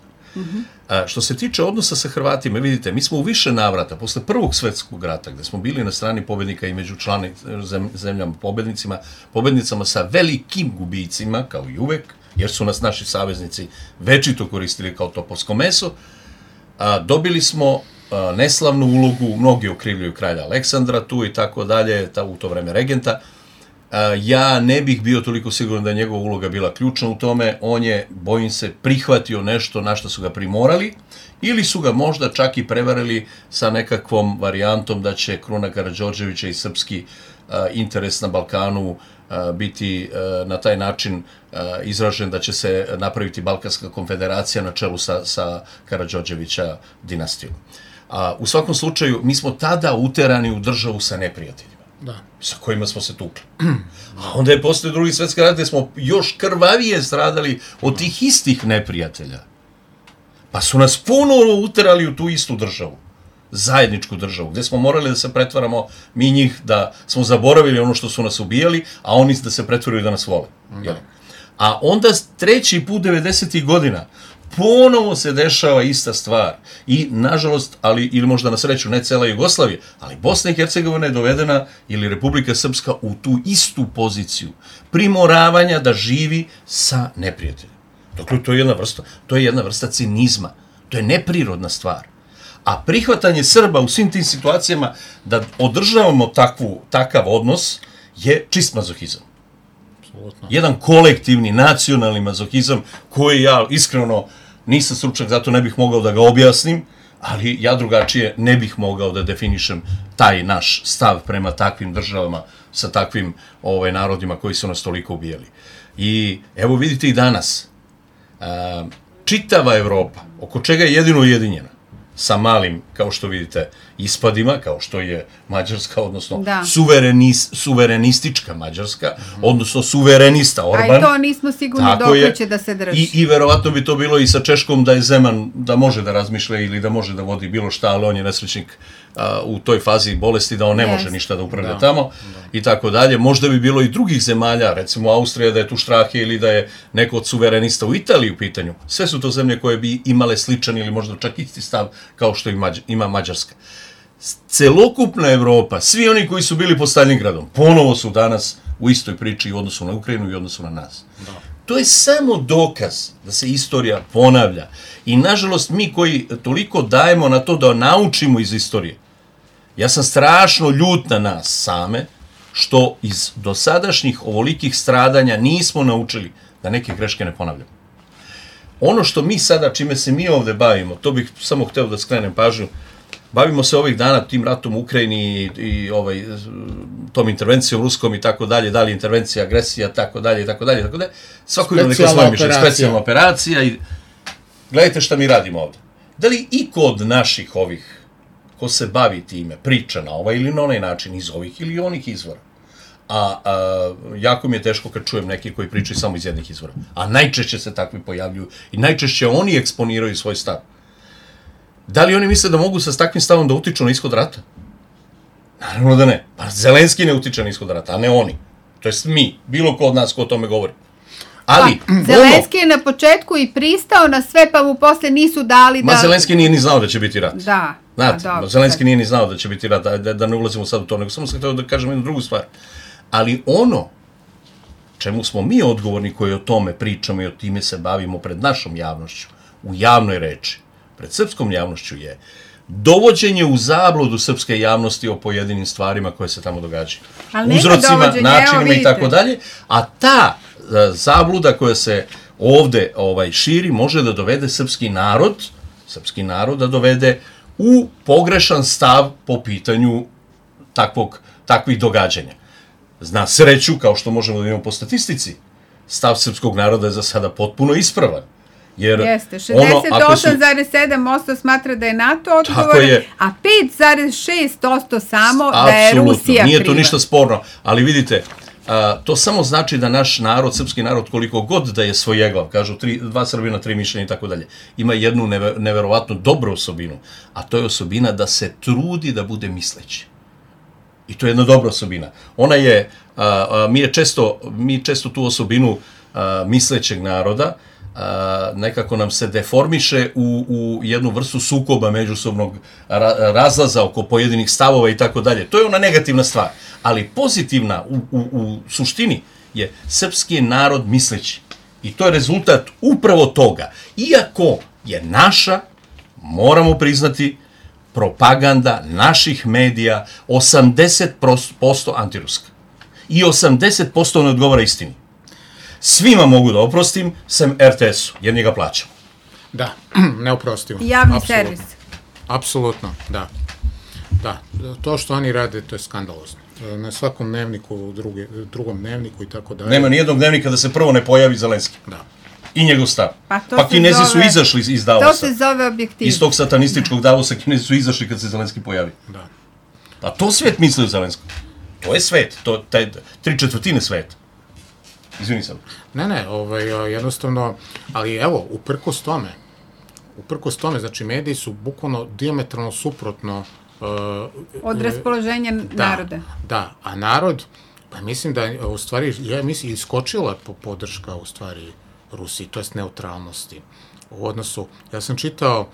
Speaker 5: Što se tiče odnosa sa Hrvatima, vidite, mi smo u više navrata, posle Prvog svjetskog rata, gde smo bili na strani pobednika i među zemljama pobednicama sa velikim gubicima, kao i uvek, jer su nas naši saveznici večito koristili kao topovsko meso, dobili smo neslavnu ulogu, mnogi okrivljuju kralja Aleksandra tu i tako dalje, u to vreme regenta. Ja ne bih bio toliko siguran da je njegova uloga bila ključna u tome, on je, bojim se, prihvatio nešto na što su ga primorali, ili su ga možda čak i prevarili sa nekakvom varijantom da će Kruna Karađorđevića i srpski interes na Balkanu biti na taj način izražen da će se napraviti Balkanska konfederacija na čelu sa Karađorđevića dinastijom. U svakom slučaju, mi smo tada uterani u državu sa neprijateljima. Sa kojima smo se tukli. A onda je posle Drugi svjetski rat gde smo još krvavije stradali od tih istih neprijatelja. Pa su nas ponovo uterali u tu istu državu. Zajedničku državu, gde smo morali da se pretvaramo mi njih, da smo zaboravili ono što su nas ubijali, a oni da se pretvaraju da nas vole. A onda treći put 90. godina ponovo se dešava ista stvar. I, nažalost, ili možda na sreću, ne cela Jugoslavija, ali Bosna i Hercegovina je dovedena, ili Republika Srpska, u tu istu poziciju primoravanja da živi sa neprijateljem. Dakle, to je jedna vrsta cinizma. To je neprirodna stvar. A prihvatanje Srba u svim tim situacijama da održavamo takav odnos je čist mazohizam. Jedan kolektivni, nacionalni mazohizam koji ja iskreno nisam stručnjak, zato ne bih mogao da ga objasnim, ali ja drugačije ne bih mogao da definišem taj naš stav prema takvim državama, sa takvim narodima koji su nas toliko ubijali. I evo vidite i danas, čitava Evropa, oko čega je jedino ujedinjena, sa malim, kao što vidite, ispadima, kao što je Mađarska, odnosno suverenistička Mađarska, odnosno suverenista Orban.
Speaker 3: A i to nismo sigurni dok će da se drži.
Speaker 5: I verovatno bi to bilo i sa Češkom, da je Zeman, da može da razmišlja ili da može da vodi bilo šta, ali on je nesrećnik u toj fazi bolesti, da on ne može ništa da upravlja tamo i tako dalje. Možda bi bilo i drugih zemalja, recimo Austrija, da je tu štrahe ili da je neko od suverenista u Italiji u pitanju. Sve su to zemlje koje bi imale sličan ili možda čak isti stav kao što ima Mađarska. Celokupna Evropa, svi oni koji su bili pod Stalingradom, ponovo su danas u istoj priči u odnosu na Ukrajinu i odnosu na nas. To je samo dokaz da se istorija ponavlja. I nažalost mi koji toliko dajemo na to da naučimo iz istorije, ja sam strašno ljut na nas same, što iz dosadašnjih ovolikih stradanja nismo naučili da neke greške ne ponavljamo. Ono što mi sada, čime se mi ovde bavimo, to bih samo hteo da skrenem pažnju, bavimo se ovih dana tim ratom u Ukrajini i tom intervencijom ruskom i tako dalje, da li intervencija, agresija, tako dalje, i tako dalje, tako dalje. Svako ima neka svoje mišljenje, specijalna operacija i gledajte šta mi radimo ovde. Da li iko od naših ovih, ko se bavi time, priča na ovaj ili na onaj način iz ovih ili onih izvora? Jako mi je teško kad čujem neki koji pričaju samo iz jednih izvora. A najčešće se takvi pojavljuju i najčešće oni eksponiraju svoj stav. Da li oni misle da mogu sa takvim stavom da utiču na ishod rata? Naravno da ne. Pa Zelenski ne utiče na ishod rata, a ne oni. To jest mi, bilo ko od nas ko o tome govori. Ali,
Speaker 3: Zelenski je na početku i pristao na sve, pa mu posle nisu dali da...
Speaker 5: Zelenski nije ni znao da će biti rat.
Speaker 3: Da.
Speaker 5: Znate, Zelenski nije ni znao da će biti rat, da ne ulazimo sad u to, nego samo sam htio da kažem jednu drugu stvar. Ali ono čemu smo mi odgovorni koji o tome pričamo i o time se bavimo pred našom javnošću, u javnoj reči, pred srpskom javnošću je dovođenje u zabludu srpske javnosti o pojedinim stvarima koje se tamo događaju. Uzrocima, načinima i tako dalje. A ta zabluda koja se ovde širi može da dovede srpski narod da dovede u pogrešan stav po pitanju takvih događanja. Na sreću, kao što možemo da imamo po statistici, stav srpskog naroda je za sada potpuno ispravan. Jer
Speaker 3: jeste, 68,7% smatra da je NATO odgovoran, a 5,6% samo da je Rusija kriva.
Speaker 5: Nije to ništa sporno, ali vidite, to samo znači da naš narod, srpski narod, koliko god da je svojeglav, kažu 2 Srbina, 3 mišljenja i tako dalje, ima jednu neverovatno dobru osobinu, a to je osobina da se trudi da bude misleći. I to je jedna dobra osobina. Ona je, mi često tu osobinu mislećeg naroda nekako nam se deformiše u jednu vrstu sukoba međusobnog razlaza oko pojedinih stavova i tako dalje. To je ona negativna stvar. Ali pozitivna u suštini je srpski narod misleći. I to je rezultat upravo toga. Iako je naša, moramo priznati, propaganda naših medija 80% antiruska. I 80% ne odgovara istini. Svima mogu da oprostim, sem RTS-u, jer njega plaćamo.
Speaker 4: Da, neoprostivo.
Speaker 3: Javni servis.
Speaker 4: Apsolutno, da. Da, to što oni rade, to je skandalozno. Na svakom dnevniku, drugom dnevniku i tako dalje.
Speaker 5: Nema nijednog dnevnika da se prvo ne pojavi Zelenski.
Speaker 4: Da.
Speaker 5: I njegov stav. Pa Kinezi su izašli iz Davosa.
Speaker 3: To se zove objektivno.
Speaker 5: Iz tog satanističkog Davosa Kinezi su izašli kad se Zelenski pojavi.
Speaker 4: Da.
Speaker 5: A to svet misli o Zelenskom. To je svet, to je 3/4 sveta. Izvini sad.
Speaker 4: Ne, jednostavno, ali evo, uprkos tome, znači mediji su bukvalno dijametralno suprotno
Speaker 3: od raspoloženja naroda.
Speaker 4: Da, a narod, pa mislim da, u stvari, iskočila podrška, u stvari, Rusiji, to jest neutralnosti. U odnosu, ja sam čitao,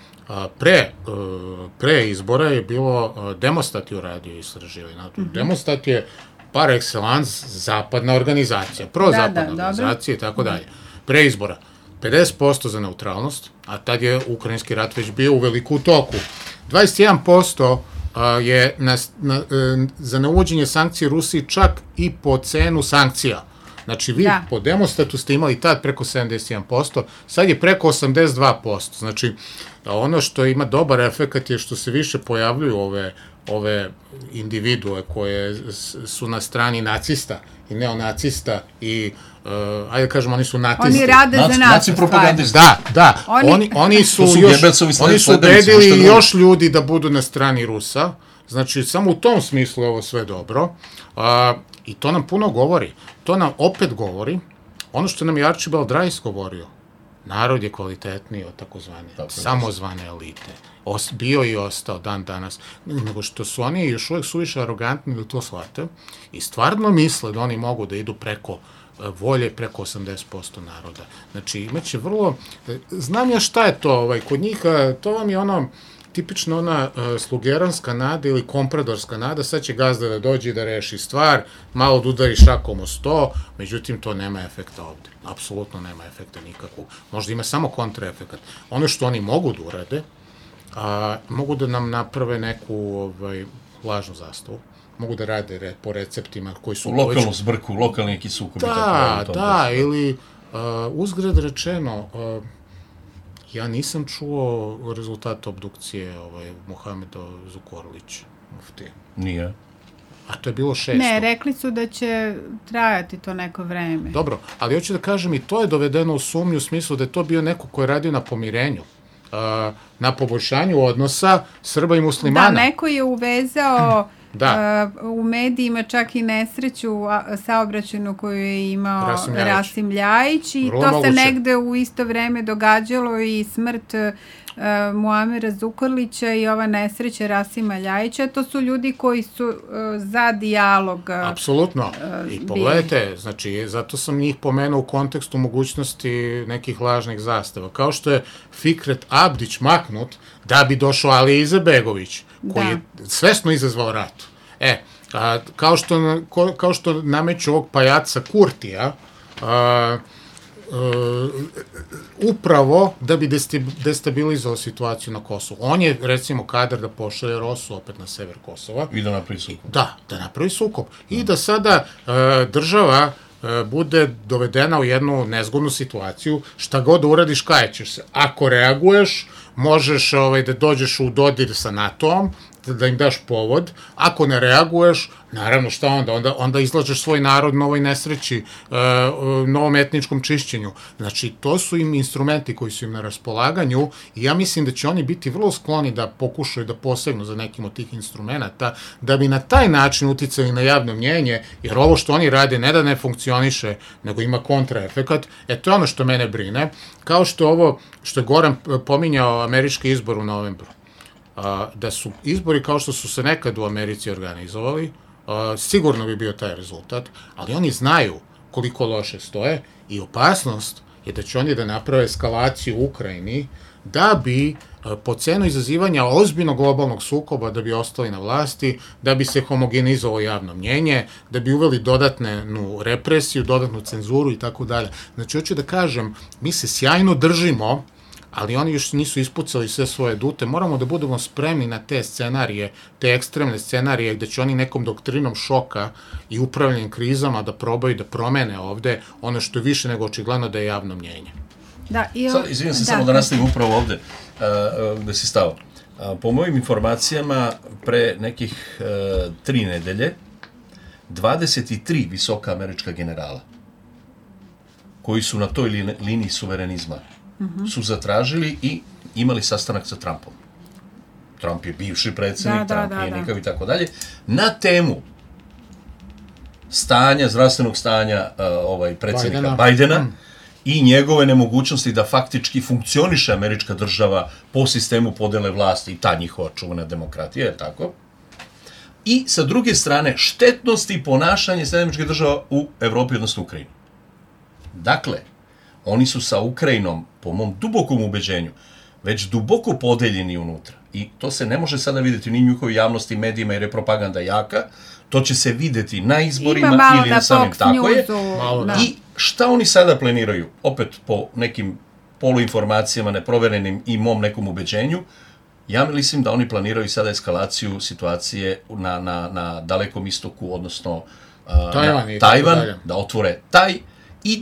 Speaker 4: pre izbora je bilo Demostat je uradio istraživanje. Demostat je par excellence zapadna organizacija, prozapadna organizacija i tako dalje. Pre izbora 50% za neutralnost, a tad je ukrajinski rat već bio u veliku toku. 21% je za neuvođenje sankcije Rusiji čak i po cenu sankcija. Znači, vi po Demostatu ste imali tad preko 71%, sad je preko 82%. Znači, ono što ima dobar efekt je što se više pojavljuju ove individue koje su na strani nacista i neonacista i, ajde kažemo, oni su natisti.
Speaker 3: Oni rade za nas.
Speaker 5: Naci propagandisti.
Speaker 4: Da. Oni su ubedili još ljudi da budu na strani Rusa. Znači, samo u tom smislu je ovo sve dobro. I to nam puno govori. To nam opet govori ono što nam je Archibald Rice govorio. Narod je kvalitetniji od takozvane samozvane elite. Bio i ostao dan danas. Nego što su oni još uvijek suviše arogantni da to shvate i stvarno misle da oni mogu da idu preko volje preko 80% naroda. Znači, imaće vrlo... Znam ja šta je to, kod njih, to vam je ono tipično ona slugeranska nada ili kompradorska nada, sad će gazda da dođe i da reši stvar, malo da udari šakom o sto, međutim to nema efekta ovde. Apsolutno nema efekta nikakvog. Možda ima samo kontraefekat. Ono što oni mogu da urade, mogu da nam naprave neku lažnu zastavu, mogu da rade po receptima koji su...
Speaker 5: Lokalnu zbrku, lokalni neki sukob.
Speaker 4: Da, ili uzgred rečeno, ja nisam čuo rezultat obdukcije Muhameda Zukorlića.
Speaker 5: Nije.
Speaker 4: A to je bilo 600.
Speaker 3: Ne, rekli su da će trajati to neko vreme.
Speaker 4: Dobro, ali hoću da kažem i to je dovedeno u sumnju u smislu da je to bio neko ko je radio na pomirenju, na poboljšanju odnosa Srba i muslimana.
Speaker 3: Da, neko je uvezao u medijima čak i nesreću saobraćajnu koju je imao Rasim Ljajić i to se negde u isto vreme događalo i smrt Muamera Zukorlića i ova nesreća Rasima Ljajića. To su ljudi koji su za dijalog.
Speaker 4: Apsolutno. I pogledajte, znači, zato sam njih pomenuo u kontekstu mogućnosti nekih lažnih zastava. Kao što je Fikret Abdić maknut da bi došao Ali Izetbegović, koji je svesno izazvao rat. Kao što nameću ovog pajaca Kurtija, upravo da bi destabilizovao situaciju na Kosovu. On je, recimo, kadar da pošalje Rosu opet na sever Kosova.
Speaker 5: I da napravi sukob.
Speaker 4: Da napravi sukob. I da sada država bude dovedena u jednu nezgodnu situaciju, šta god da uradiš, kajećeš se. Ako reaguješ, možeš da dođeš u dodir sa NATO-om da im daš povod, ako ne reaguješ, naravno šta onda izlažeš svoj narod novoj nesreći, novom etničkom čišćenju. Znači, to su im instrumenti koji su im na raspolaganju i ja mislim da će oni biti vrlo skloni da pokušaju da posegnu za nekim od tih instrumenta, da bi na taj način uticali na javno mnjenje, jer ovo što oni rade ne da ne funkcioniše, nego ima kontraefekat. To je ono što mene brine, kao što ovo, što je Goran pominjao američki izbor u novembru. Da su izbori kao što su se nekad u Americi organizovali, sigurno bi bio taj rezultat, ali oni znaju koliko loše stoje i opasnost je da će oni da naprave eskalaciju u Ukrajini da bi po cenu izazivanja ozbiljnog globalnog sukoba da bi ostali na vlasti, da bi se homogenizovalo javno mnjenje, da bi uveli dodatnu represiju, dodatnu cenzuru i tako dalje. Znači, hoću da kažem, mi se sjajno držimo, ali oni još nisu ispucali sve svoje dute. Moramo da budemo spremni na te scenarije, te ekstremne scenarije gde će oni nekom doktrinom šoka i upravljanjem krizama da probaju da promene ovde ono što je više nego očigledno da je javno mnjenje.
Speaker 5: Izvijem se samo da nastavim upravo ovde gde si stao. Po mojim informacijama, pre nekih 3 nedelje, 23 visoka američka generala koji su na toj liniji suverenizma su zatražili i imali sastanak sa Trumpom. Trump je bivši predsjednik, Trump je nikav i tako dalje, na temu zdravstvenog stanja predsjednika Bajdena i njegove nemogućnosti da faktički funkcioniše američka država po sistemu podele vlasti i ta njihova čuvena demokratija, je tako? I sa druge strane, štetnosti ponašanja američkih država u Evropi, odnosno Ukrajini. Dakle, oni su sa Ukrajinom, po mom dubokom ubeđenju, već duboko podeljeni unutra. I to se ne može sada vidjeti ni u njihovoj javnosti, medijima, jer je propaganda jaka. To će se vidjeti na izborima ili na samim, tako je. I šta oni sada planiraju? Opet po nekim poluinformacijama, neproverenim i mom nekom ubeđenju, ja mislim da oni planiraju sada eskalaciju situacije na Dalekom istoku, odnosno Tajvan, da otvore taj i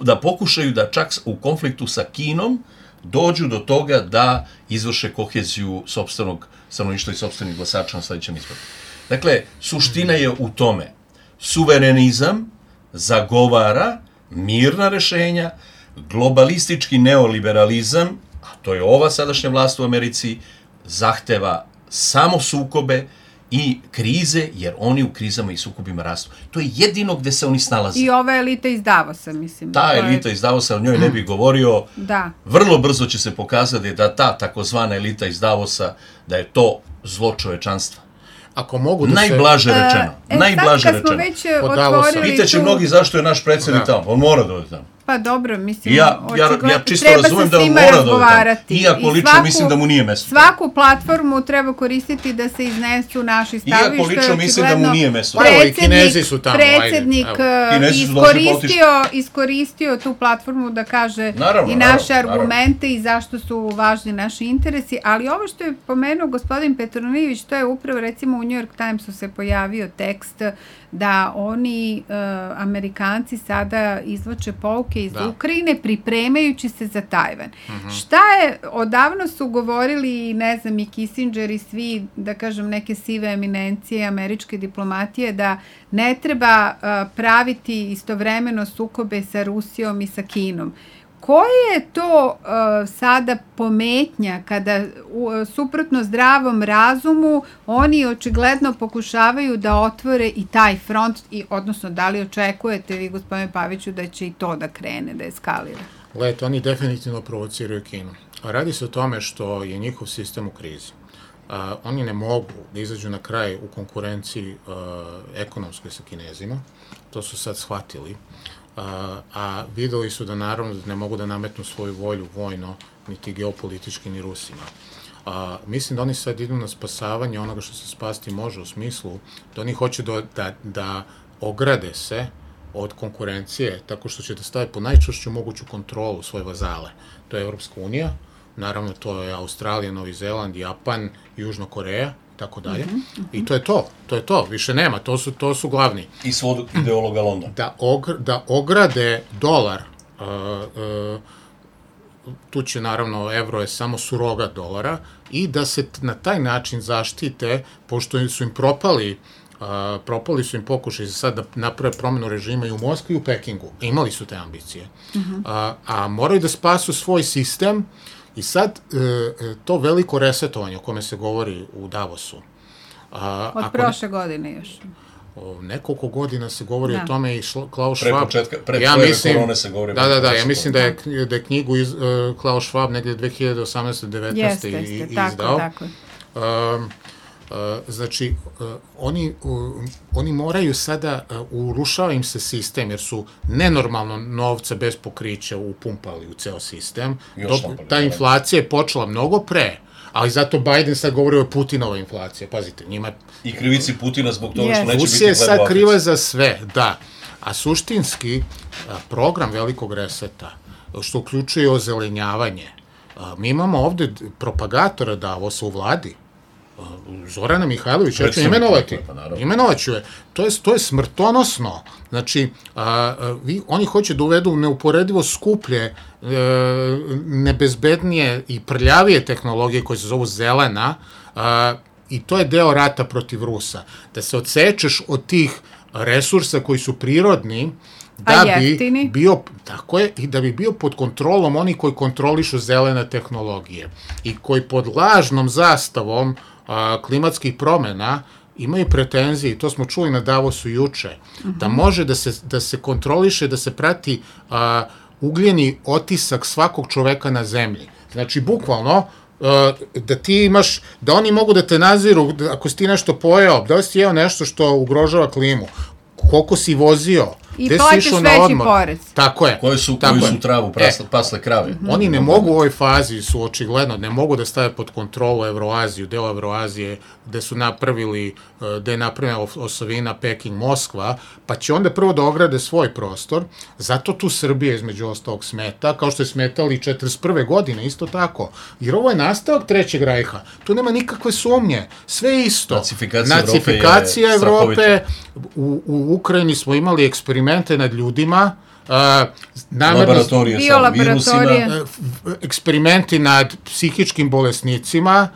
Speaker 5: da pokušaju da čak u konfliktu sa Kinom dođu do toga da izvrše koheziju sopstvenog stanovništva i sopstvenih glasača na sledećem izboru. Dakle, suština je u tome. Suverenizam zagovara mirna rešenja, globalistički neoliberalizam, a to je ova sadašnja vlast u Americi, zahteva samo sukobe i krize, jer oni u krizama i sukobima rastu. To je jedino gde se oni snalaze.
Speaker 3: I ova elita iz Davosa, mislim.
Speaker 5: Ta elita iz Davosa, o njoj ne bih govorio. Da. Vrlo brzo će se pokazati da ta takozvana elita iz Davosa, da je to zlo čovečanstva.
Speaker 4: Ako mogu da
Speaker 5: najblaže rečeno. Najblaže
Speaker 3: rečeno. Sad kad smo već otvorili
Speaker 5: Pitaće mnogi zašto je naš predsjednik tamo. On mora da ode tamo.
Speaker 3: Pa dobro, mislim,
Speaker 5: ja čisto razumem da on mora da ode tamo. Iako lično mislim da mu nije mesto.
Speaker 3: Svaku platformu treba koristiti da se iznesu naši stavi.
Speaker 5: Iako lično mislim da mu nije mesto.
Speaker 4: I Kinezi su tamo.
Speaker 3: Predsjednik iskoristio tu platformu da kaže i naše argumente i zašto su važni naši interesi, ali ovo što je pomenuo gospodin Petronijević, to je upravo, recimo, u New York Timesu se pojavio tekst da oni, Amerikanci, sada izvlače pouke iz Ukrajine pripremajući se za Tajvan. Šta je, odavno su govorili, ne znam, i Kissinger i svi, da kažem, neke sive eminencije američke diplomatije, da ne treba praviti istovremeno sukobe sa Rusijom i sa Kinom. Koja je to sada pometnja kada suprotno zdravom razumu oni očigledno pokušavaju da otvore i taj front, odnosno da li očekujete vi, gospodine Paviću, da će i to da krene, da eskalira?
Speaker 4: Gledajte, oni definitivno provociraju Kinu. Radi se o tome što je njihov sistem u krizi. Oni ne mogu da izađu na kraj u konkurenciji ekonomskoj sa Kinezima. To su sad shvatili. A videli su da naravno ne mogu da nametnu svoju volju vojno, niti geopolitički, ni Rusima. Mislim da oni sad idu na spasavanje onoga što se spasti može, u smislu da oni hoće da ograde se od konkurencije tako što će da stave po najčvršću moguću kontrolu svoje vazale. To je Evropska unija, naravno to je Australija, Novi Zeland, Japan, Južna Koreja, tako dalje. I to je to, više nema, to su glavni.
Speaker 5: I svog ideologa Londona.
Speaker 4: Da ograde dolar tu će naravno evro je samo surogat dolara i da se na taj način zaštite, pošto su im propali su im pokušaj za sad da naprave promenu režima i u Moskvi i u Pekingu. Imali su te ambicije. A moraju da spasu svoj sistem i sad to veliko resetovanje o kome se govori u Davosu.
Speaker 3: Od prošle godine još.
Speaker 4: Nekoliko godina se govori o tome i Klaus
Speaker 5: Schwab. Pre korone se govori.
Speaker 4: Da, ja mislim da je knjigu Klaus Schwab negdje 2018-19 izdao.
Speaker 3: Tako.
Speaker 4: Znači, oni moraju sada, urušava im se sistem, jer su nenormalno novca bez pokrića upumpali u ceo sistem. Ta inflacija je počela mnogo pre, ali zato Biden sad govori o Putinovoj inflaciji. Pazite, njima...
Speaker 5: I krivici Putina zbog toga što neće biti
Speaker 4: Rusija je sad kriva za sve, da. A suštinski, program velikog reseta, što uključuje ozelenjavanje, mi imamo ovde propagatora Davosa u vladi, Zorana Mihajlović, ja ću imenovat ću je. To je smrtonosno. Znači, oni hoće da uvedu neuporedivo skuplje, nebezbednije i prljavije tehnologije koje se zovu zelena, i to je deo rata protiv Rusa. Da se odsečeš od tih resursa koji su prirodni, da bi bio, tako je, i da bi bio pod kontrolom oni koji kontrolišu zelene tehnologije i koji pod lažnom zastavom klimatskih promena imaju pretenzije, i to smo čuli na Davosu juče, da može da se kontroliše, da se prati ugljeni otisak svakog čoveka na zemlji. Znači, bukvalno, da ti imaš, da oni mogu da te nadziru ako si ti nešto pojeo, da li si jeo nešto što ugrožava klimu, koliko si vozio,
Speaker 3: i plaćaš veći porez.
Speaker 4: Tako je.
Speaker 5: Koji su travu pasle krave.
Speaker 4: Oni ne mogu u ovoj fazi, su očigledno, ne mogu da stave pod kontrolu Evroaziju, deo Evroazije, gde su napravili, gde je napravljena osovina Peking-Moskva, pa će onda prvo da ograde svoj prostor, zato tu Srbija između ostalog smeta, kao što je smetali 41. godine, isto tako. Jer ovo je nastavak Trećeg rajha, tu nema nikakve sumnje, sve isto. Nacifikacija Evrope, u Ukrajini smo imali eksperimente nad ljudima,
Speaker 5: laboratorije sa virusima,
Speaker 4: eksperimenti nad psihičkim bolesnicima,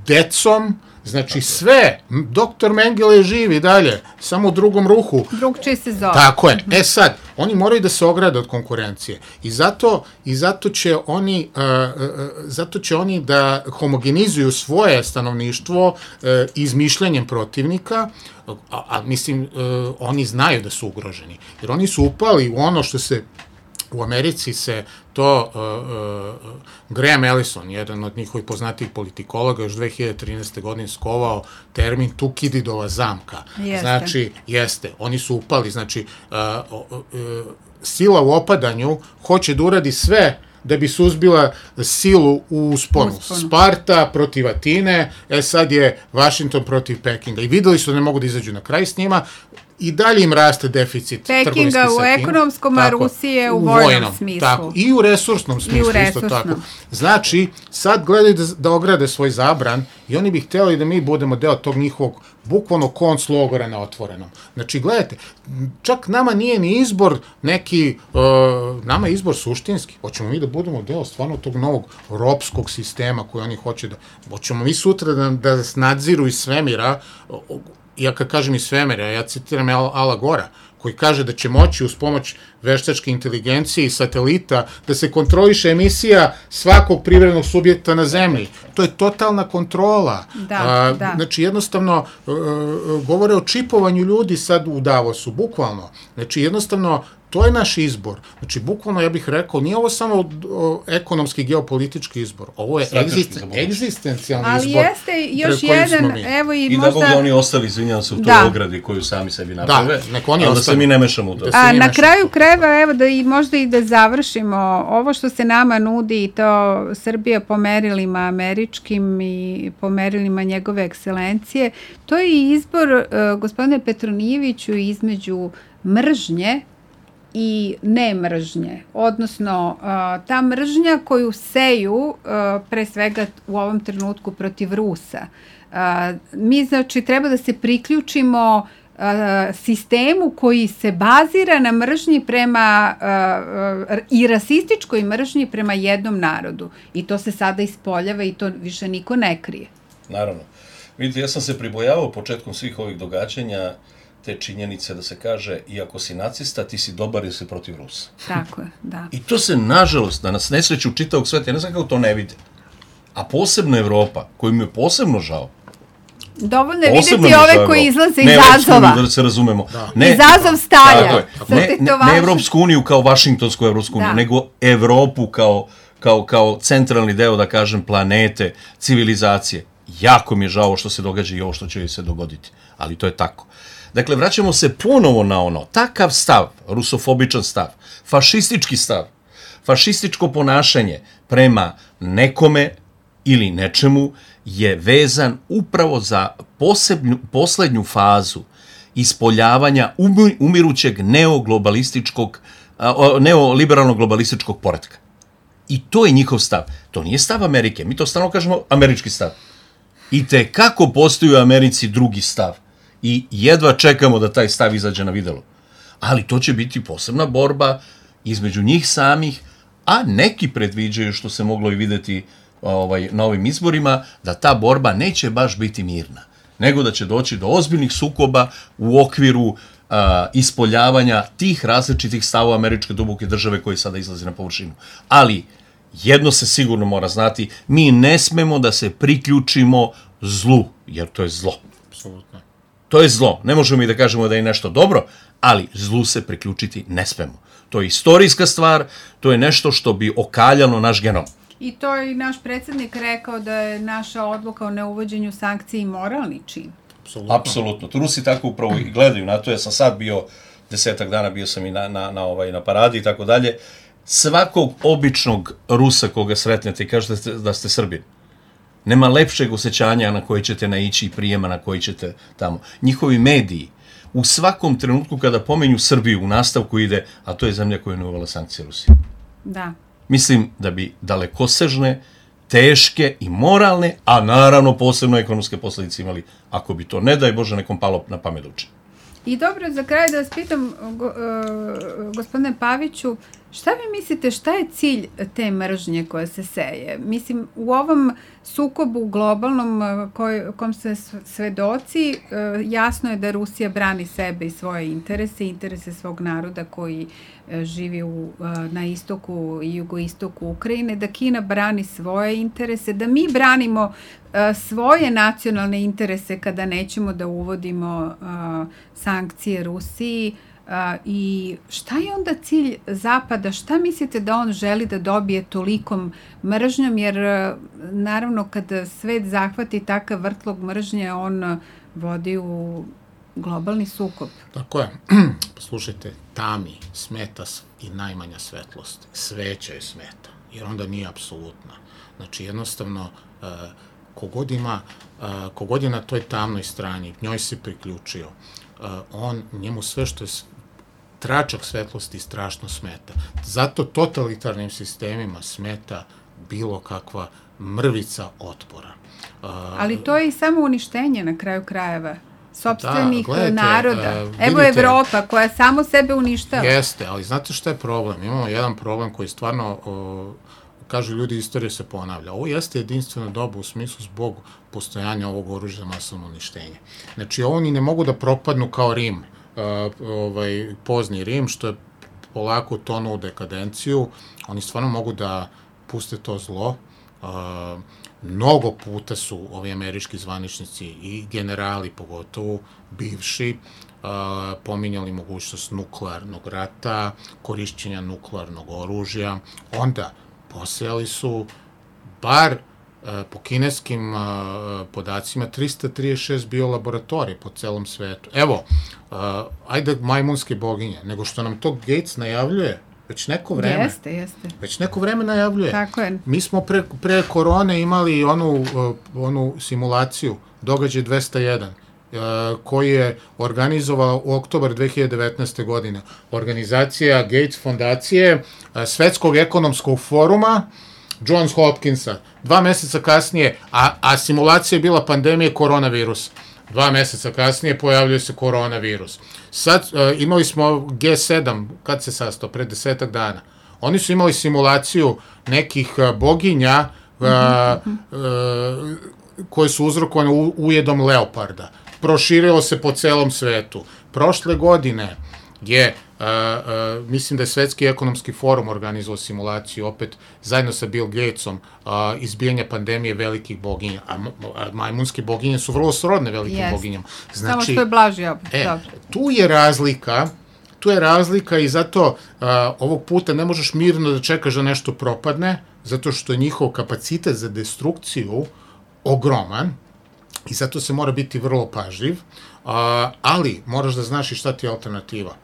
Speaker 4: decom, znači sve. Doktor Mengele je živ i dalje, samo u drugom ruhu.
Speaker 3: Drugčije se zove.
Speaker 4: Tako je. Sad, oni moraju da se ograde od konkurencije. I zato će oni da homogenizuju svoje stanovništvo izmišljanjem protivnika, a mislim, oni znaju da su ugroženi. Jer oni su upali u ono što se u Americi se to, Graham Allison, jedan od njihovih poznatijih politikologa, još 2013. godine skovao termin Tukididova zamka. Znači, oni su upali, znači, sila u opadanju hoće da uradi sve da bi suzbila silu u usponu. Sparta protiv Atine, sad je Washington protiv Pekinga. I videli su da ne mogu da izađu na kraj s njima, i dalje im raste deficit trgovinski sa Kinom.
Speaker 3: Pekinga u ekonomskom, a Rusije u vojnom smislu. Tako,
Speaker 4: i u resursnom smislu isto tako. Znači, sad gledaju da ograde svoj zabran i oni bi htjeli da mi budemo deo tog njihovog bukvalno konc logora na otvorenom. Znači, gledajte, čak nama nije ni izbor neki, nama je izbor suštinski. Hoćemo mi da budemo deo stvarno tog novog ropskog sistema koji oni hoće da... Hoćemo mi sutra da nas nadziru iz svemira. Ja kad kažem iz svemira, ja citiram Ala Gora, koji kaže da će moći uz pomoć veštačke inteligencije i satelita da se kontroliše emisija svakog privrednog subjekta na zemlji. To je totalna kontrola. Znači, jednostavno, govore o čipovanju ljudi sad u Davosu, bukvalno. Znači, jednostavno, to je naš izbor. Znači, bukvalno, ja bih rekao, nije ovo samo ekonomski, geopolitički izbor. Ovo je egzistencijalni izbor.
Speaker 3: Ali jeste još jedan, evo i možda...
Speaker 5: I da Bog da oni ostali, izvinjam se, u toj ogradi koju sami sebi naprave, ali da se mi ne mešamo u to.
Speaker 3: A na kraju krajeva, evo, možda i da završimo, ovo što se nama nudi, i to Srbija po merilima američkim i po merilima njegove ekscelencije, to je izbor, gospodine Petronijeviću, između mržnje i nemržnje, odnosno ta mržnja koju seju pre svega u ovom trenutku protiv Rusa. Mi, znači, treba da se priključimo sistemu koji se bazira na mržnji prema i rasističkoj mržnji prema jednom narodu. I to se sada ispoljava i to više niko ne krije.
Speaker 5: Naravno. Vidite, ja sam se pribojavao početkom svih ovih događanja te činjenice da se kaže i ako si nacista, ti si dobar jer si protiv Rusa.
Speaker 3: Tako je, da.
Speaker 5: I to se, nažalost, da nas nesreću čitavog sveta, ja ne znam kako to ne vide. A posebno Evropa, koju mi je posebno žao.
Speaker 3: Dovoljno je vidjeti ove koji izlaze iz Azova.
Speaker 5: Da se razumemo.
Speaker 3: Iz Azov stalja.
Speaker 5: Ne Evropsku uniju kao Vašingtonsku Evropsku uniju, nego Evropu kao centralni deo, da kažem, planete, civilizacije. Jako mi je žao što se događa i ovo što će se dogoditi. Ali to je tako. Dakle, vraćamo se ponovo na ono, takav stav, rusofobičan stav, fašistički stav, fašističko ponašanje prema nekome ili nečemu je vezan upravo za poslednju fazu ispoljavanja umirućeg neoliberalnog globalističkog poretka. I to je njihov stav. To nije stav Amerike. Mi to stalno kažemo američki stav. I kako postoji u Americi drugi stav. I jedva čekamo da taj stav izađe na videlo. Ali to će biti posebna borba između njih samih, a neki predviđaju, što se moglo i videti na ovim izborima, da ta borba neće baš biti mirna, nego da će doći do ozbiljnih sukoba u okviru ispoljavanja tih različitih stavova američke duboke države koji sada izlazi na površinu. Ali jedno se sigurno mora znati, mi ne smemo da se priključimo zlu, jer to je zlo.
Speaker 4: Apsolutno.
Speaker 5: To je zlo. Ne možemo i da kažemo da je nešto dobro, ali zlu se priključiti ne smemo. To je istorijska stvar, to je nešto što bi okaljalo naš genom.
Speaker 3: I to je i naš predsjednik rekao da je naša odluka o neuvođenju sankciji moralni čin.
Speaker 5: Apsolutno. Rusi tako upravo i gledaju na to. Ja sam sad bio 10 dana, bio sam i na paradi i tako dalje. Svakog običnog Rusa koga sretnete i kažete da ste Srbin, nema lepšeg osjećanja na koji ćete naići i prijema na koji ćete tamo. Njihovi mediji u svakom trenutku kada pomenju Srbiju u nastavku ide, a to je zemlja koja je uvela sankcije Rusije.
Speaker 3: Da.
Speaker 5: Mislim da bi dalekosežne, teške i moralne, a naravno posebno ekonomske posljedice imali, ako bi to, ne daj Bože, nekom palo na pamet da uči.
Speaker 3: I dobro, za kraj da vas pitam, gospodine Paviću, šta vi mislite, šta je cilj te mržnje koja se seje? Mislim, u ovom sukobu globalnom kom se svedoci, jasno je da Rusija brani sebe i svoje interese svog naroda koji živi na istoku i jugoistoku Ukrajine, da Kina brani svoje interese, da mi branimo svoje nacionalne interese kada nećemo da uvodimo sankcije Rusiji. I šta je onda cilj Zapada? Šta mislite da on želi da dobije tolikom mržnjom? Jer naravno kad svet zahvati takav vrtlog mržnje, on vodi u globalni sukob.
Speaker 4: Tako je. Poslušajte, tami smeta i najmanja svetlost. Sveća je smeta, jer onda nije apsolutna. Znači jednostavno kogod je na toj tamnoj strani, njoj se priključio, njemu sve što je tračak svetlosti strašno smeta. Zato totalitarnim sistemima smeta bilo kakva mrvica otpora.
Speaker 3: Ali to je i samo uništenje na kraju krajeva sopstvenih naroda. Evo Evropa koja samo sebe uništava.
Speaker 4: Jeste, ali znate šta je problem? Imamo jedan problem koji stvarno, kažu ljudi, istorija se ponavlja. Ovo jeste jedinstveno doba u smislu zbog postojanja ovog oružja za masovno uništenje. Znači, ovo ni ne mogu da propadnu kao Rim, pozni Rim, što je polako tonuo u dekadenciju. Oni stvarno mogu da puste to zlo. Mnogo puta su ovi američki zvaničnici i generali, pogotovo bivši, pominjali mogućnost nuklearnog rata, korišćenja nuklearnog oružja. Onda posejali su bar po kineskim podacima 336 biolaboratorija po celom svetu. Evo, ajde majmunske boginje, nego što nam to Gates najavljuje već neko vreme.
Speaker 3: Jeste.
Speaker 4: Već neko vreme najavljuje.
Speaker 3: Tako je.
Speaker 4: Mi smo pre korone imali onu simulaciju, događaj 201, koji je organizovao u oktobar 2019. godine. Organizacija Gates fondacije, Svetskog ekonomskog foruma, Johns Hopkinsa. 2 meseca kasnije, a simulacija je bila pandemije koronavirusa. 2 meseca kasnije pojavljuje se koronavirus. Sad imali smo G7, kad se sastao, pred 10 dana. Oni su imali simulaciju nekih boginja koje su uzrokovane ujedom leoparda. Proširilo se po celom svetu. Prošle godine je, mislim da je Svetski ekonomski forum organizovao simulaciju, opet zajedno sa Bill Gatesom, izbijanja pandemije velikih boginja. A majmunske boginje su vrlo srodne velikim boginjama.
Speaker 3: Znači, samo što je blaži opet.
Speaker 4: Tu je razlika i zato ovog puta ne možeš mirno da čekaš da nešto propadne, zato što je njihov kapacitet za destrukciju ogroman i zato se mora biti vrlo pažljiv, ali moraš da znaš i šta ti je alternativa.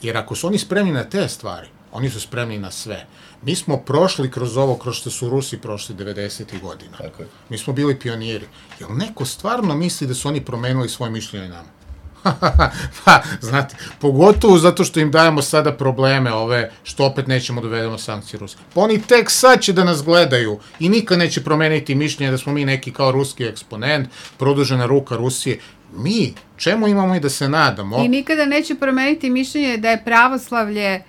Speaker 4: Jer ako su oni spremni na te stvari, oni su spremni na sve. Mi smo prošli kroz ovo, kroz što su Rusi prošli 90. godina. Mi smo bili pioniri. Jel neko stvarno misli da su oni promenili svoje mišljenje nama? Pa, znate, pogotovo zato što im dajemo sada probleme ove, što opet nećemo dovedemo sankcije Ruske. Pa oni tek sad će da nas gledaju i nikad neće promeniti mišljenje da smo mi neki kao ruski eksponent, produžena ruka Rusije. Mi, čemu imamo i da se nadamo?
Speaker 3: I nikada neće promeniti mišljenje da je pravoslavlje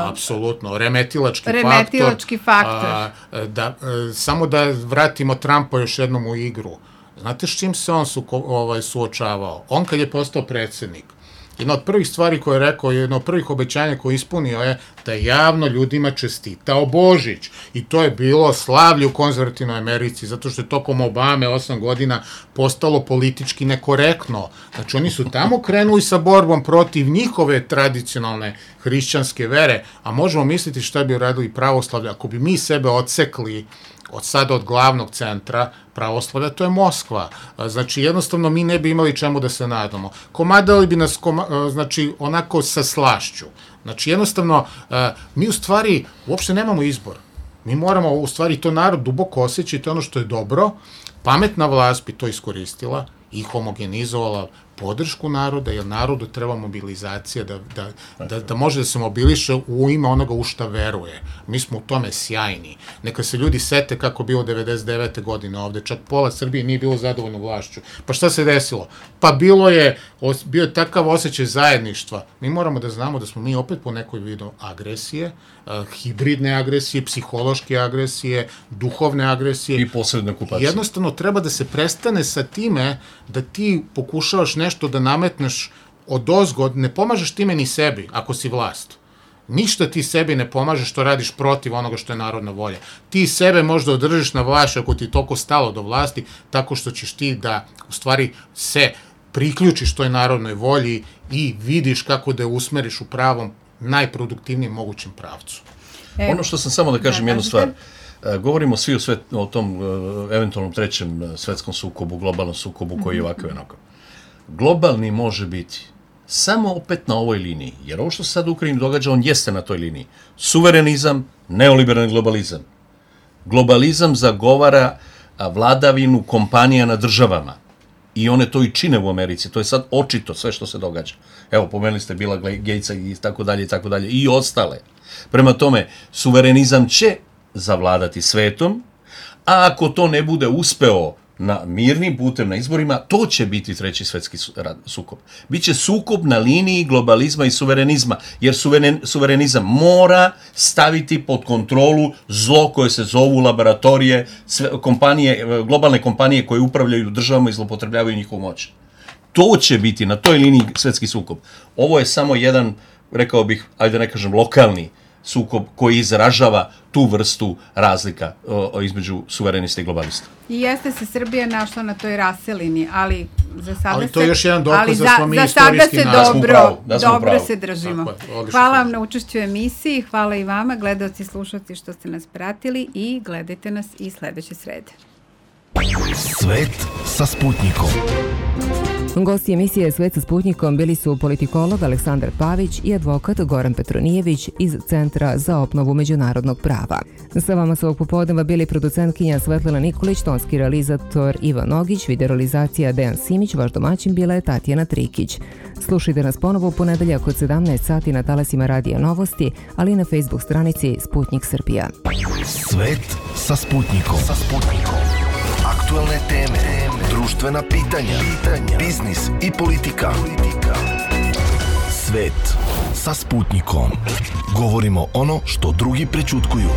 Speaker 4: apsolutno, remetilački faktor. Samo da vratimo Trumpa još jednom u igru. Znate s čim se on suočavao? On kad je postao predsjednik, jedna od prvih stvari koje je rekao, jedna od prvih obećanja koje je ispunio je da javno ljudima čestitao Božić. I to je bilo slavlje u konzervativnoj Americi, zato što je tokom Obame 8 godina postalo politički nekorektno. Znači, oni su tamo krenuli sa borbom protiv njihove tradicionalne hrišćanske vere, a možemo misliti šta bi uradili pravoslavlje ako bi mi sebe odsekli od glavnog centra pravoslavlja, to je Moskva. Znači, jednostavno, mi ne bi imali čemu da se nadamo. Komadali bi nas, znači, onako sa slašću. Znači, jednostavno, mi u stvari uopšte nemamo izbor. Mi moramo, u stvari, to narod duboko osjeća i to ono što je dobro. Pametna vlast bi to iskoristila i homogenizovala podršku naroda, jer narodu treba mobilizacija da može da se mobiliše u ime onoga u šta veruje. Mi smo u tome sjajni. Neka se ljudi sete kako bilo 99. godine ovde, čak pola Srbije nije bilo zadovoljno vlašću. Pa šta se desilo? Pa bio je takav osjećaj zajedništva. Mi moramo da znamo da smo mi opet po nekoj vidu agresije, hibridne agresije, psihološke agresije, duhovne agresije.
Speaker 5: I posredne okupacije.
Speaker 4: Jednostavno treba da se prestane sa time da ti pokušavaš nešto da nametneš odozgo, ne pomažeš time ni sebi ako si vlast. Ništa ti sebi ne pomažeš što radiš protiv onoga što je narodna volja. Ti sebe možda održiš na vlasti ako ti je toliko stalo do vlasti, tako što ćeš ti da u stvari se priključiš toj narodnoj volji i vidiš kako da je usmeriš u pravom, najproduktivnijem mogućem pravcu.
Speaker 5: Ono što sam samo da kažem jednu stvar. Govorimo svi o tom eventualnom trećem svetskom sukobu, globalnom sukobu koji je ovakav onako. Globalni može biti samo opet na ovoj liniji, jer ovo što se sad u Ukrajini događa, on jeste na toj liniji. Suverenizam, neoliberalni globalizam. Globalizam zagovara vladavinu kompanija na državama i one to i čine u Americi. To je sad očito sve što se događa. Evo, pomenuli ste Billa Gatesa i tako dalje, i ostale. Prema tome, suverenizam će zavladati svetom, a ako to ne bude uspeo na mirnim putem, na izborima, to će biti treći svetski sukob. Biće sukob na liniji globalizma i suverenizma, jer suverenizam mora staviti pod kontrolu zlo koje se zovu laboratorije, globalne kompanije koje upravljaju državama i zlopotrebljavaju njihovu moć. To će biti na toj liniji svetski sukob. Ovo je samo jedan, rekao bih, ajde ne kažem, lokalni sukob koji izražava tu vrstu razlika između suverenista i globalista.
Speaker 3: I jeste se Srbija našla na toj raselini, ali za sada
Speaker 4: ali to je još jedan dokaz da smo mi istorijski
Speaker 3: dobro se držimo. Hvala vam na učešću u emisiji, hvala i vama, gledaoci i slušalci što ste nas pratili i gledajte nas i sledeće srede.
Speaker 1: Svet sa Sputnikom.
Speaker 2: Gosti emisije Svet sa Sputnikom bili su politikolog Aleksandar Pavić i advokat Goran Petronijević iz Centra za obnovu međunarodnog prava. Sa vama su ovog popodneva bili producentkinja Svetlana Nikolić, tonski realizator Ivan Nogić, videorealizacija Dejan Simić, vaš domaćin bila je Tatjana Trikić. Slušajte nas ponovo u ponedeljak od 17 sati na talasima Radija Novosti, ali i na Facebook stranici Sputnik Srbija.
Speaker 1: Svet sa Sputnikom. Aktuelne teme, društvena pitanja, biznis i politika. Svet sa Sputnikom. Govorimo ono što drugi prećutkuju.